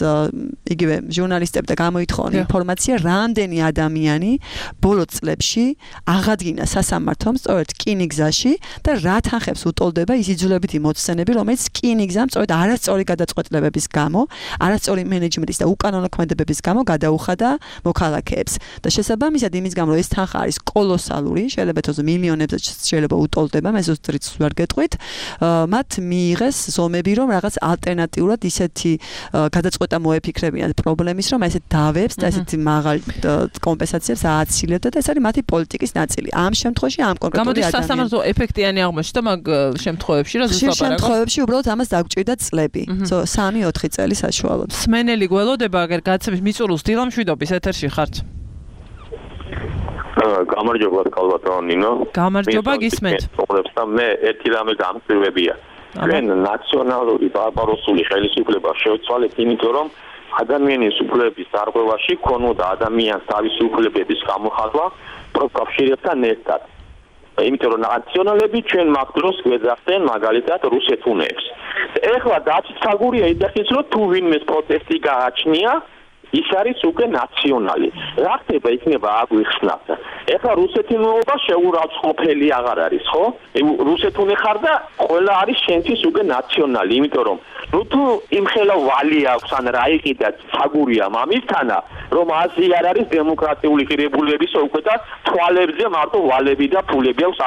იგივე ჟურნალისტები და გამოითხოვონ ინფორმაცია, რამდენი ადამიანი ბოლო წლებში აღადგინა სასამართლომ სწორედ რკინიგზაში და რა თანხებს უტოლდება ის იძულებითი მოცემები, რომელიც რკინიგზამ სწორედ არასწორი გადაწყვეტილებების გამო, არასწორი მენეჯმენტის და უკანონო ქმედებების გამო გადაუხადა მოქალაქეებს. და შესაბამისად იმის გამო ეს თანხა არის კოლოსალური, შეიძლება თქოს მილიონებზე შეიძლება უტოლდება, მე ზუსტ რიცხვს ვერ გეტყვით. მათ მიიღეს ზომები, რომ რაღაც ალტერნატიულად ისეთი გადაწყვეტა მოეფიქრებინათ პრობლემის, რომ ესეთ დავებს და ესეთი მაღალ კომპენსაციებს ააცილებდა და ეს არის მათი პოლიტიკის ნაწილი. ამ შემთხვევაში ამ კონკრეტული
ადამიანს გამოდის სასამართლო ეფექტიანი აღმოჩნდა მაგ შემთხვევებში, რა ზუსტად
ლაპარაკობ. შემთხვევებში უბრალოდ ამას დაგჭირდა წლები. სამი ოთხი წელი საშუალოდ.
სმენელი გველოდება, აგერ გაცემის მიწურულს დილამშვიდობის ეთერში ხართ.
გამარჯობა კალბატონო ნინო.
გამარჯობა გისმენთ.
მე ერთი რამე გამწვევებია. ჩვენ ნაციონალური ბარბაროსული ხელისუფლება შევცვალეთ, იმიტომ რომ ადამიანის უფლებების დარღვევაში ქონოდა ადამიანს თავისი უფლებების გამოხატვა პროფკავშირებთან ერთად. იმიტომ რომ ნაციონალები ჩვენ მაგ დროს გვეძახდნენ მაგალითად რუსეთუნებს. ეხლა დაწესაგურია იდეის რომ თუ ვინმეს პროტესტი გააჩნია ის არის უკვე ნაციონალი. რა ხდება იქნება აგვიხსნათ. ეხლა რუსეთუნობა შეურაცხყოფელი აღარ არის, ხო? რუსეთუნე ხარ და ყველა არის შენთვის უკვე ნაციონალი, იმიტომ რომ ნუ თუ იმხელა ვალი აქვს ან რა იყიდა საგურია მამისთანა, რომ აზრი არ არის დემოკრატიული ღირებულებისა უკვე და თვალებზე მარტო ვალები და ფულები აქვს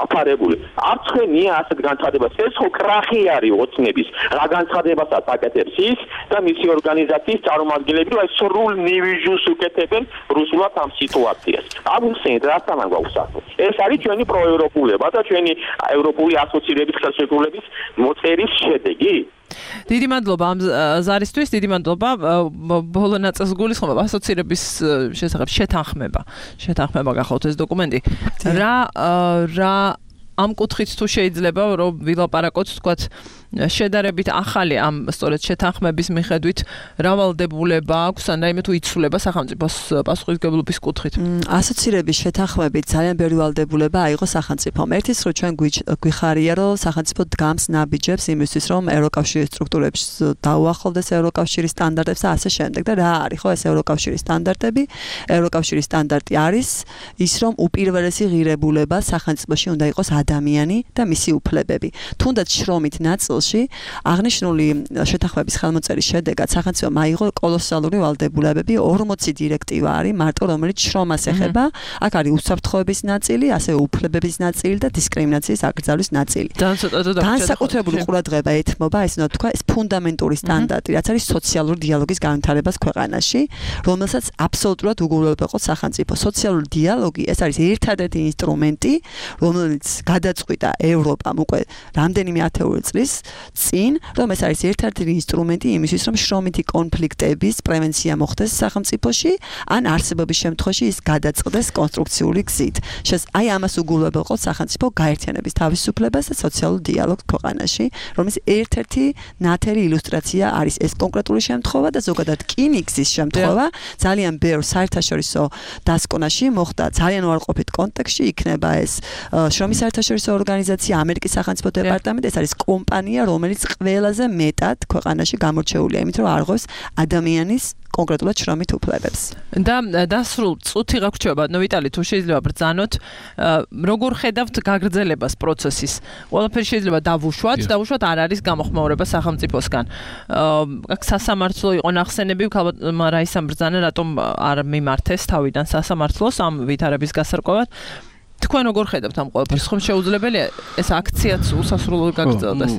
აფარებული. არ ცხენია ასეთ განცხადებას. ეს ხო კრახი არის ოცნების. რა განცხადებასაც აკეთებს ის და მისი ორგანიზაციის წარმომადგენლები, რომ სრულ ნივიჟუს უკეთებენ რუსულად ამ სიტუაციას. აგვიხსენეთ რასთან გვაქვს საქმე. ეს არის ჩვენი პროევროპულება და ჩვენი ევროპული ასოცირების ხელშეკრულების მოწერის შედეგი.
დიდი მადლობა ამ ზარისთვის, დიდი მადლობა. ბოლო ნაწილს გულისხმობ ასოცირების შესახებ შეთანხმება. შეთანხმება გახავთ ეს დოკუმენტი. რა რა ამ კუთხით თუ შეიძლება რომ ვილაპარაკოთ, თქვათ, შედარებით ახალი ამ სწორედ შეთანხმების მიხედვით რავალდებულება აქვს ან რაიმე თუ იცვლება სახელმწიფოს პასუხისმგებლობის კუთხით.
ასოცირების შეთანხმებით ძალიან ბევრი ვალდებულება აიღო სახელმწიფომ. ერთის რომ ჩვენ გვიხარია რომ სახელმწიფო დგამს ნაბიჯებს იმისთვის რომ ევროკავშირის სტრუქტურებს დაუახლოვდეს ევროკავშირის სტანდარტებს და ასე შემდეგ. და რა არის ხო ეს ევროკავშირის სტანდარტები? ევროკავშირის სტანდარტი არის ის რომ უპირველესი ღირებულება სახელმწიფოში უნდა იყოს ადამიანი და მისი უფლებები. თუნდაც შრომით ნაწილ აღნიშნული შეთანხმების ხელმოწერის შედეგად სახელმწიფომ აიღო კოლოსალური ვალდებულებები. ორმოცი დირექტივა არის მარტო რომელიც შრომას ეხება. აქ არის უსაფრთხოების ნაწილი, ასევე უფლებების ნაწილი და დისკრიმინაციის აკრძალვის ნაწილი. განსაკუთრებული ყურადღება ეთმობა, ესე უნდა თქვა, ეს ფუნდამენტური სტანდარტი, რაც არის სოციალური დიალოგის განვითარებას ქვეყანაში, რომელსაც აბსოლუტურად უგულებელყოფს სახელმწიფო. სოციალური დიალოგი ეს არის ერთადერთი ინსტრუმენტი, რომელიც გადაწყვიტა ევროპამ უკვე რამდენიმე ათეული წლის წინ, რომ ეს არის ერთ-ერთი ინსტრუმენტი იმისთვის, რომ შრომითი კონფლიქტების პრევენცია მოხდეს სახელმწიფოში, ან არსებობის შემთხვევაში ის გადაწყდეს კონსტრუქციული გზით. შეს აი ამას უგულებელყოფს სახელმწიფო გაერთიანების თავისუფლებას და სოციალურ დიალოგს ქვეყანაში, რომელიც ერთ-ერთი ნათელი ილუსტრაცია არის ეს კონკრეტული შემთხვევა და ზოგადად კინიგზის შემთხვევა ძალიან ბევრ საერთაშორისო დასკვნაში მოხდა ძალიან უარყოფით კონტექსტში იქნება ეს შრომის საერთაშორისო ორგანიზაცია, ამერიკის სახელმწიფო დეპარტამენტი, ეს არის კომპანია, რომელიც ყველაზე მეტად ქვეყანაში გამორჩეულია, იმიტომ რომ არღვევს ადამიანის კონკრეტულად შრომით უფლებებს.
და დასრულ წუთი გაგვრჩება, ნუ ვიტალი, თუ შეიძლება ბრძანოთ, როგორ ხედავთ გაგრძელებას პროცესის? ყველაფერი შეიძლება დავუშვათ, დავუშვათ არ არის გამოხმაურება სახელმწიფოსგან. აქ სასამართლო იყო ნახსენები, ალბათ რაისამ ბრძანა, რატომ არ მიმართეს თავიდან სასამართლოს ამ ვითარების გასარკვევად. თქვენ როგორ ხედავთ ამ ყველაფერს? ხომ შეუძლებელია ეს აქციაც უსასრულოდ გაგრძელდეს?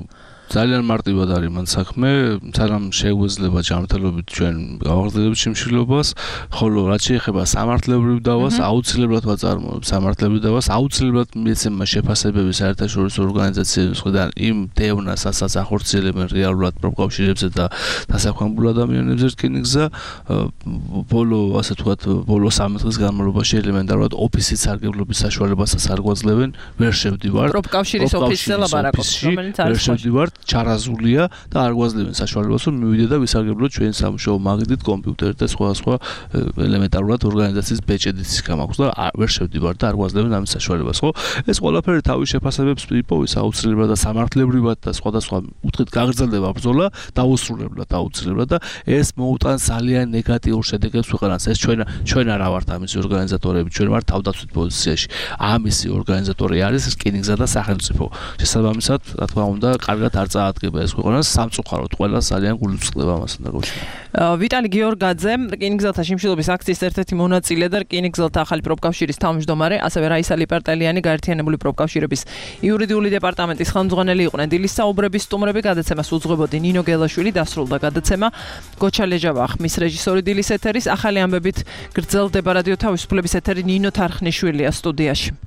ძალიან მარტივად არის მან საქმე, სანამ შეგვეძლება ჯანმრთელობით ჩვენ გავაგრძელებთ შიმშილობას, ხოლო რაც შეეხება სამართლებრივ დავას, აუცილებლად ვაწარმოებ სამართლებრივ დავას, აუცილებლად მიეცემა შეფასებები საერთაშორისო ორგანიზაციების მხრიდან იმ დევნას, ასაც ახორციელებენ რეალურად პროფკავშირებზე და დასაქმებულ ადამიანებზე რკინიგზა, ბოლო, ასე ვთქვათ, ბოლო სამი დღის განმავლობაში ელემენტარულად ოფისის სარგებლობის საშუალებასაც არ გვაძლევენ, ვერ შევდივართ
პროფკავშირის ოფისზე ლაპარაკობს, რომელიც არის
შევდივართ ჩარაზულია და არ გვაძლევენ საშუალებას რომ მივიდე და ვისარგებლოთ ჩვენ სამუშაო მაგიდით, კომპიუტერით და სხვა სხვა ელემენტარულად ორგანიზაციის ბეჭედიც გამაქვს და ვერ შევდივარ და არ გვაძლევენ ამის საშუალებას, ხო? ეს ყველაფერი თავის შეფასებებს იპოვის აუცილებლად და სამართლებრივად და სხვადასხვა კუთხით გაგრძელდება ბრძოლა დაუსრულებლად აუცილებლად და ეს მოუტანს ძალიან ნეგატიურ შედეგებს ქვეყანას. ეს ჩვენ ჩვენ არა ვართ ამის ორგანიზატორები, ჩვენ ვართ თავდაცვით პოზიციაში. ამისი ორგანიზატორი არის რკინიგზა და სახელმწიფო. შესაბამისად, რა თქმა უნდა, კარგად არ წაადგება ეს ქვეყანას სამწუხაროდ ყველა ძალიან გულისწყდება ამასთან დაკავშირებით.
ვიტალი გიორგაძე, რკინიგზელთა შიმშილობის აქციის ერთ-ერთი მონაწილე და რკინიგზელთა ახალი პროფკავშირის თავმჯდომარე, ასევე რაისა ლიპარტელიანი გაერთიანებული პროფკავშირების იურიდიული დეპარტამენტის ხელმძღვანელი იყვნენ. დილის საუბრების სტუმრები გადაცემას უძღვებოდი ნინო გელაშვილი, დასრულდა გადაცემა გოჩა ლეჟავა, ხმის რეჟისორი დილის ეთერის, ახალი ამბებით გრძელდება რადიო თავისუფლების ეთერი ნინო თარხნიშვილია სტუდიაში.